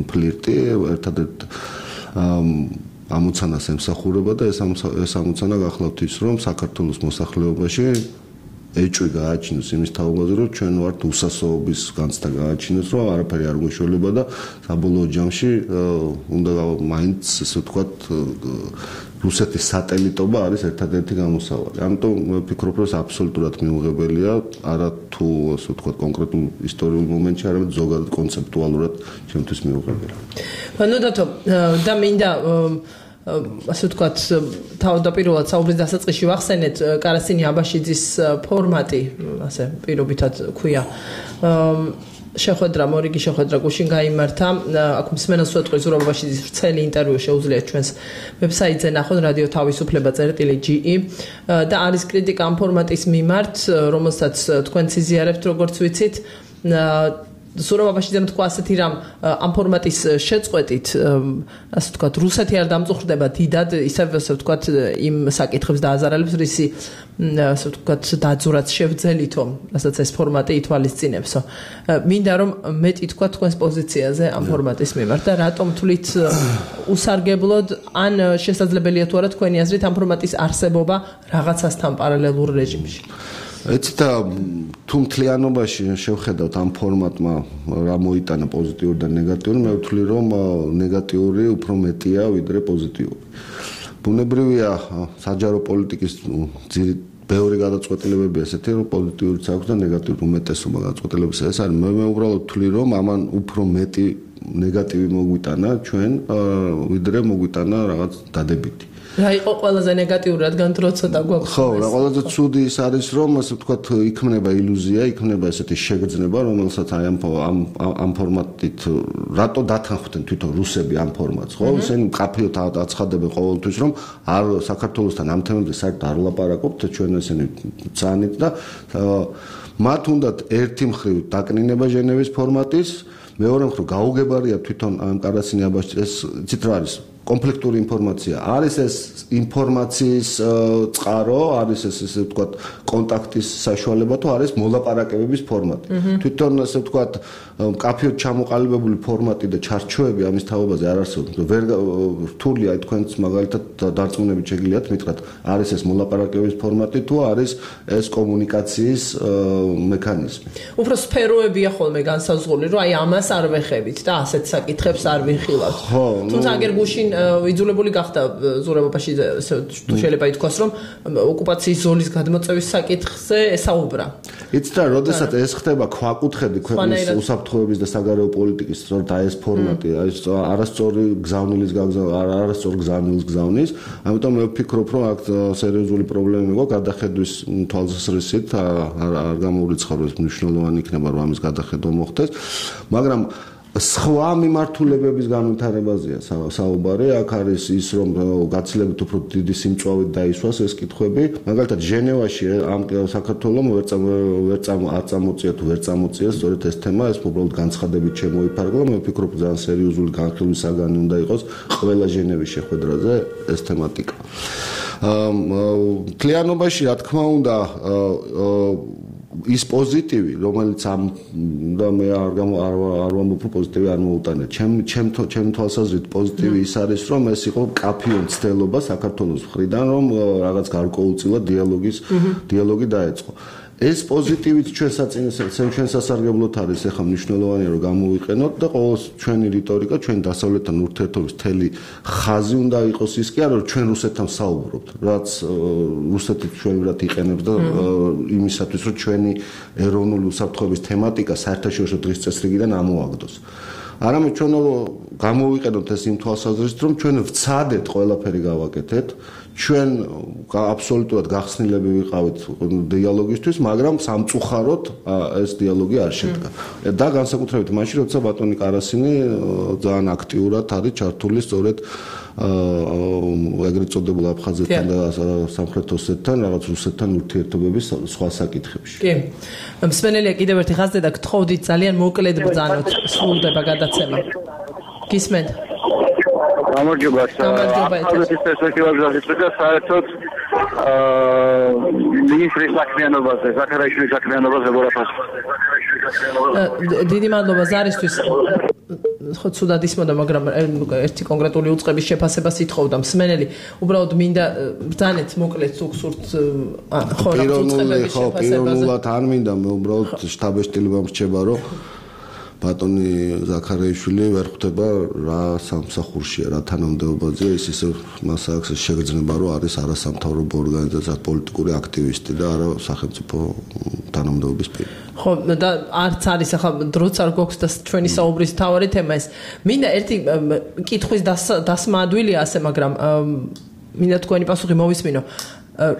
ფლირტი ერთადერთ ამოცანას ემსახურება და ეს ამოცანა გახლავთ ის, რომ საქართველოს მოსახლეობაში ეჭვი გააჩინოს იმის თაობაზე, რომ ჩვენ ვართ უსასოობის განცდა გააჩინოს, რომ არაფერი არ გვეშველება და საბოლოო ჯამში უნდა მაინც ესე ვთქვათ რუსეთის სატელიტობა არის ერთადერთი გამოსავალი. ამიტომ მე ვფიქრობ, რომ ეს აბსოლუტურად მიუღებელია, არა თუ ასე ვთქვათ კონკრეტულ ისტორიულ მომენტში, არამედ ზოგადად კონცეპტუალურად ჩემთვის მიუღებელია. ბანოდათო და მინდა ასე ვთქვათ თავდაპირველად საუბრის დასაწყისში ვახსენეთ კარასინი აბაშიძის ფორმატი, ასე პირობითად ქვია. შეხვედრა, მორიგი შეხვედრა გუშინ გაიმართა. აქ მსმენელს ვეთქვი ზურაბ აბაშიძის ვრცელი ინტერვიუ შეუძლიათ ჩვენს ვებსაიტზე ნახოთ რადიო თავისუფლება.ge და არის კრიტიკა ამ ფორმატის მიმართ, რომელსაც თქვენ იზიარებთ, როგორც ვიცით. ზურაბ აბაშიძემ თქვა ასეთი რამ ამ ფორმატის შეწყვეტით, ასე ვთქვათ, რუსეთი არ დამწუხრდება დიდად, ისევ ასე ვთქვათ, იმ საკითხებს დააზარალებს, რისი ასე ვთქვათ, დაძურაც შევძელითო, რასაც ეს ფორმატი ითვალისწინებსო. მინდა რომ მეტი თქვა თქვენს პოზიციაზე ამ ფორმატის მიმართ და რატომ თვლით უსარგებლოდ ან შესაძლებელია თუ არა თქვენი აზრით ამ ფორმატის არსებობა რაღაცასთან პარალელურ რეჟიმში. ეცით და თუ მთლიანობაში შევხედავთ ამ ფორმატმა რა მოიტანა პოზიტიური და ნეგატიური, მე ვთვლი რომ ნეგატიური უფრო მეტია ვიდრე პოზიტიური. ბუნებრივია საჯარო პოლიტიკის ბევრი გადაწყვეტილებები ესეთი რომ პოზიტიურიც აქვს და ნეგატიური უმეტესობა გადაწყვეტილებისა ეს არის. მე უბრალოდ ვთვლი რომ ამან უფრო მეტი ნეგატივი მოგვიტანა ჩვენ ვიდრე მოგვიტანა რაღაც დადებითი. რა იყო ყველაზე ნეგატიური, რადგან დრო ცოტა გვაქვს. ხო, რა ყველაზე ცუდი ის არის, რომ ასე ვთქვათ, იქმნება ილუზია, იქმნება ესეთი შეგრძნება, რომელსაც აი ამ ფორმატით რატო დათანხმდნენ თვითონ რუსები ამ ფორმატს, ხო? ისინი მკაფიოდ აცხადებენ ყოველთვის, რომ არ საქართველოსთან ამ თემებზე საერთოდ არ ვლაპარაკობთ, ჩვენ ესენი ცანით და მათ უნდათ ერთი მხრივ დაკნინება ჟენევის ფორმატის, მეორე მხრივ გაუგებარია თვითონ ამ კარასინი აბაშიძის ეს ცით რა არის კონფლიქტური ინფორმაცია. არის ეს ინფორმაციის წყარო, არის ეს ესე ვთქვათ კონტაქტის საშუალება თუ არის მოლაპარაკებების ფორმატი. თვითონ ესე ვთქვათ კაფეოდ ჩამოყალიბებული ფორმატი და ჩარჩოები ამის თაობაზე არ არსებობს. ვერ რთულია თქვენს მაგალითად დარწმუნებით შეგიძლიათ მითხრათ, არის ეს მოლაპარაკებების ფორმატი თუ არის ეს კომუნიკაციის მექანიზმი. უფრო სფეროებია ხოლმე განსაზღვრული, რომ აი ამას არ ვეხებით და ასეთ საკითხებს არ ვიხილავთ. თუმცა აგერ გუშინ იძულებული გახდა ზურაბობაში შეიძლება ითქვას, რომ ოკუპაციის ზოლის გადმოწევის საკითხზე ესაუბრა. იცით რა, როდესაც ეს ხდება ქვაკუთხედი ქვეყნის უსაფრთხოების და საგარეო პოლიტიკის, სწორედ აი ეს ფორმატი, აი არასწორი გზავნილის არასწორ გზავნილს გზავნის, ამიტომ მე ვფიქრობ, რომ აქ სერიოზული პრობლემები გვაქვს გადახედვის თვალსაზრისით, არ გამოურიცხავდეს მნიშვნელოვანი იქნება რომ ამის გადახედვა მოხდეს, მაგრამ სხვა მიმართულებების განვითარებაზეა საუბარი. აქ არის ის რომ გაცილებით უფრო დიდი სიმწვავით დაისვას ეს კითხვები. მაგალითად ჟენევაში ამ საქართველოს ვერ წამოწია თუ ვერ წამოწია სწორედ ეს თემა, ეს უბრალოდ განცხადებით შემოიფარგლა. მე ვფიქრობ ძალიან სერიოზული განხილვის საგანი უნდა იყოს ყველა ჟენევის შეხვედრაზე ეს თემატიკა. მთლიანობაში რა თქმა უნდა ის პოზიტივი, რომელიც ამ და მე არ ვამბობ პოზიტივი არ მოუტანე. ჩემ თვალსაზრისით პოზიტივი ის არის, რომ ეს იყო კაფეონ ცდელობა საქართველოს მხრიდან, რომ რაღაც გარკვეულწილად დიალოგი დაეწყო. ეს პოზიტივით ჩვენ სასარგებლოდ არის ახლა მნიშვნელოვანია რომ გამოვიყენოთ და ყოველ ჩვენი რიტორიკა, ჩვენი დასავლეთთან ურთიერთობის მთელი ხაზი უნდა იყოს ის კი არა რომ ჩვენ რუსეთთან საუბრობთ, რაც რუსეთი ჩვენურად იყენებს და იმისათვის რომ ჩვენი ეროვნული უსაფრთხოების თემატიკა საერთაშორისო დღის წესრიგიდან ამოაგდოს. არამედ ჩვენ გამოვიყენოთ ეს იმ თვალსაზრისით რომ ჩვენ ვცადეთ ყველაფერი გავაკეთეთ, ჩვენ აბსოლუტურად გახსნილები ვიყავით დიალოგისთვის, მაგრამ სამწუხაროდ ეს დიალოგი არ შედგა. და განსაკუთრებით მაშინ, როცა ბატონი კარასინი ძალიან აქტიურად არის ჩართული სწორედ ეგრეთ წოდებულ აფხაზეთთან და სამხრეთ ოსეთთან, რაღაც რუსეთთან ურთიერთობების სხვა საკითხებში. კი. მსმენელია კიდევ ერთი ხაზზე და გთხოვდით ძალიან მოკლედ ბრძანოთ, სრულდება გადაცემა. გისმენთ? გამარჯობა. ახალგაზრდების პერსპექტივაზე და საერთოდ მინისტრის საქმიანობაზე, ზაქარაშვილის საქმიანობაზე ვერაფერს. დიდი მადლობა ზარისთვის. ხო ცუდად ისმოდა, მაგრამ ერთი კონკრეტული უწყების შეფასებას ითხოვდა მსმენელი. უბრალოდ მინდა ბრძანეთ მოკლედ სუქსურთ ხო რა უწყების შეფასებაზე. პიროვნულად არ მინდა, მე უბრალოდ შტაბ-ეშტილებამ რჩება, რომ ბატონი ზაქარაიშვილი ვერ ხვდება რა სამსახურშია, რა თანამდებობაზეა, ის ისე მას აქვს შეგრძნება, რომ არის არასამთავრობო ორგანიზაცია, პოლიტიკური აქტივისტი და არა სახელმწიფო თანამდებობის პირი. ხო და არც არის ახლა დროც არ გვაქვს და ჩვენი საუბრის თავარი თემა ეს. მინდა ერთი კითხვის დასმა ადვილია ასე, მაგრამ მინდა თქვენი პასუხი მოვისმინო.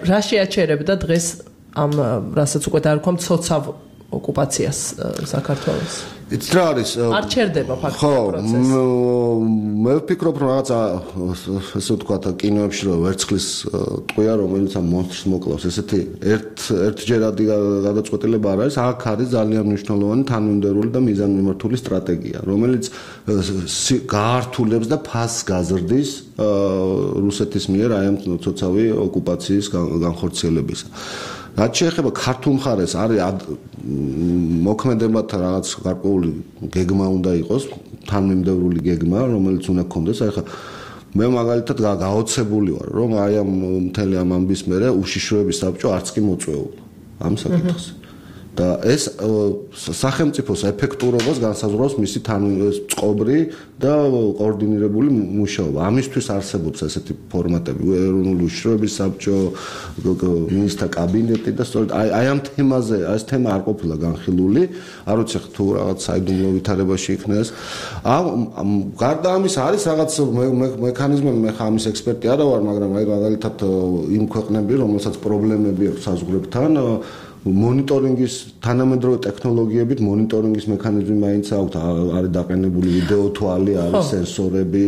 რა შეაჩერებდა დღეს ამ რასაც უკვე დაარქვა მცოცავ ოკუპაციას საქართველოს? იცით რა არის? არ ჩერდება ფაქტობრივად პროცესი. ხო, მე ვფიქრობ, რომ რაღაცა ესე ვთქვათ, კინოებში რომ ვერცხლის ტყვია, რომელიც ამ მონსტრს მოკლავს, ესეთი ერთჯერადი გადაწყვეტილება არ არის, აქ არის ძალიან მნიშვნელოვანი თანმიმდევრული და მიზანმიმართული სტრატეგია, რომელიც გაართულებს და ფასს გაზრდის რუსეთის მიერ აი ამ ცოცავი ოკუპაციის განხორციელებისა. რაც შეეხება ქართულ მხარეს, არის მოქმედებათა რაღაც გარკვეული გეგმა უნდა იყოს, თანმიმდევრული გეგმა, რომელიც უნდა გქონდეს. აი ხა მე მაგალითად გაოცებული ვარ, რომ აი ამ მთელი ამ ამბის მერე უშიშროების საბჭო არც კი მოწვეულა ამ საკითხზე. და ეს სახელმწიფოს ეფექტურობას განსაზღვრავს მისი წყობრი და კოორდინირებული მუშაობა. ამისთვის არსებობს ესეთი ფორმატები, ეროვნული უშიშროების საბჭო, მინისტრთა კაბინეტი და სწორედ აი ამ თემაზე, ეს თემა არ ყოფილა განხილული, არ ვიცი თუ რაღაც საიდუმლო ვითარებაში იქნა ეს. გარდა ამის არის რაღაც მექანიზმები, მე ხა ამის ექსპერტი არა ვარ, მაგრამ აი მაგალითად იმ ქვეყნები, რომელსაც პრობლემები აქვს საზღვრებთან, მონიტორინგის თანამედროვე ტექნოლოგიებით მონიტორინგის მექანიზმი მაინც აქვს, არის დაყენებული ვიდეო თვალი, არის სენსორები,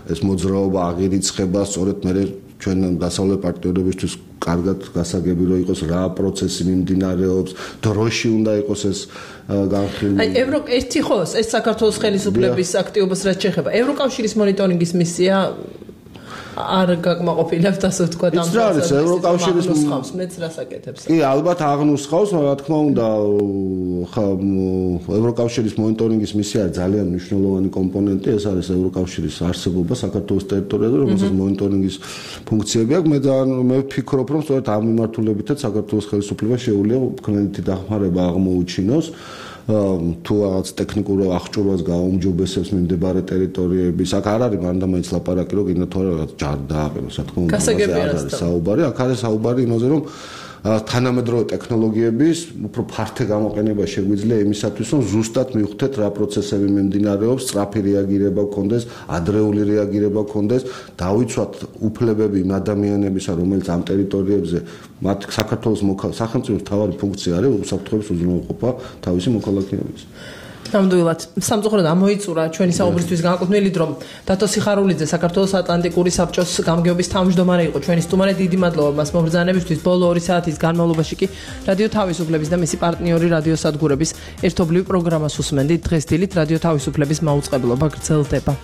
ეს მოძრაობა აღირიცხება, სწორედ მე ჩვენ დასავლეთ პარტნიორებისთვის კარგად გასაგები რომ იყოს რა პროცესი მიმდინარეობს, დროში უნდა იყოს ეს განხილული. აი ერთი ხო, ეს საქართველოს ხელისუფლების აქტივობას რაც შეეხება, ევროკავშირის მონიტორინგის მისია არ გაკმაყოფილებთ ასე ვთქვა ამ პროცესს ევროკავშირის ნუსხავს მეც რასაკეთებს კი ალბათ აღნუსხავს რა თქმა უნდა ევროკავშირის მონიტორინგის მისია ძალიან მნიშვნელოვანი კომპონენტი ეს არის ევროკავშირის არსებობა საქართველოს ტერიტორიაზე რომელსაც მონიტორინგის ფუნქციები აქვს მე ვფიქრობ რომ სწორედ ამ მიმართულებითაც საქართველოს ხელისუფლებას შეუძლია კრედიტი დახმარება აღმოუჩინოს თუ რაღაც ტექნიკურ აღჭურვას გაუმჯობესებს მიმდებარე ტერიტორიების აქ არ არის მანდამაინც ლაპარაკი რომ კიდე თუ რაღაც ჯარი დააყენოს რა თქმა უნდა არის საუბარი აქ არის საუბარი იმაზე რომ თანამედროვე ტექნოლოგიების უფრო ფართე გამოყენება შეგვიძლია იმისათვის რომ ზუსტად მივხვდეთ რა პროცესები მიმდინარეობს სწრაფი რეაგირება გქონდეს ადრეული რეაგირება გქონდეს დავიცვათ უფლებები იმ ადამიანებისა რომელიც ამ ტერიტორიებზე მათ საქართველოს სახელმწიფოს მთავარი ფუნქცია არის უსაფრთხოების უზრუნველყოფა თავისი მოქალაქეების ნამდვილად სამწუხაროდ ამოიწურა ჩვენი საუბრისთვის განკუთვნილი დრო დათო სიხარულიძე საქართველოს ატლანტიკური საბჭოს გამგეობის თავმჯდომარე იყო ჩვენი სტუმარი დიდი მადლობა მას მობრძანებისთვის ბოლო 2 საათის განმავლობაში კი რადიო თავისუფლების და მისი პარტნიორი რადიო სადგურების ერთობლივ პროგრამას უსმენდით დღეს დილით რადიო თავისუფლების მაუწყებლობა გრძელდება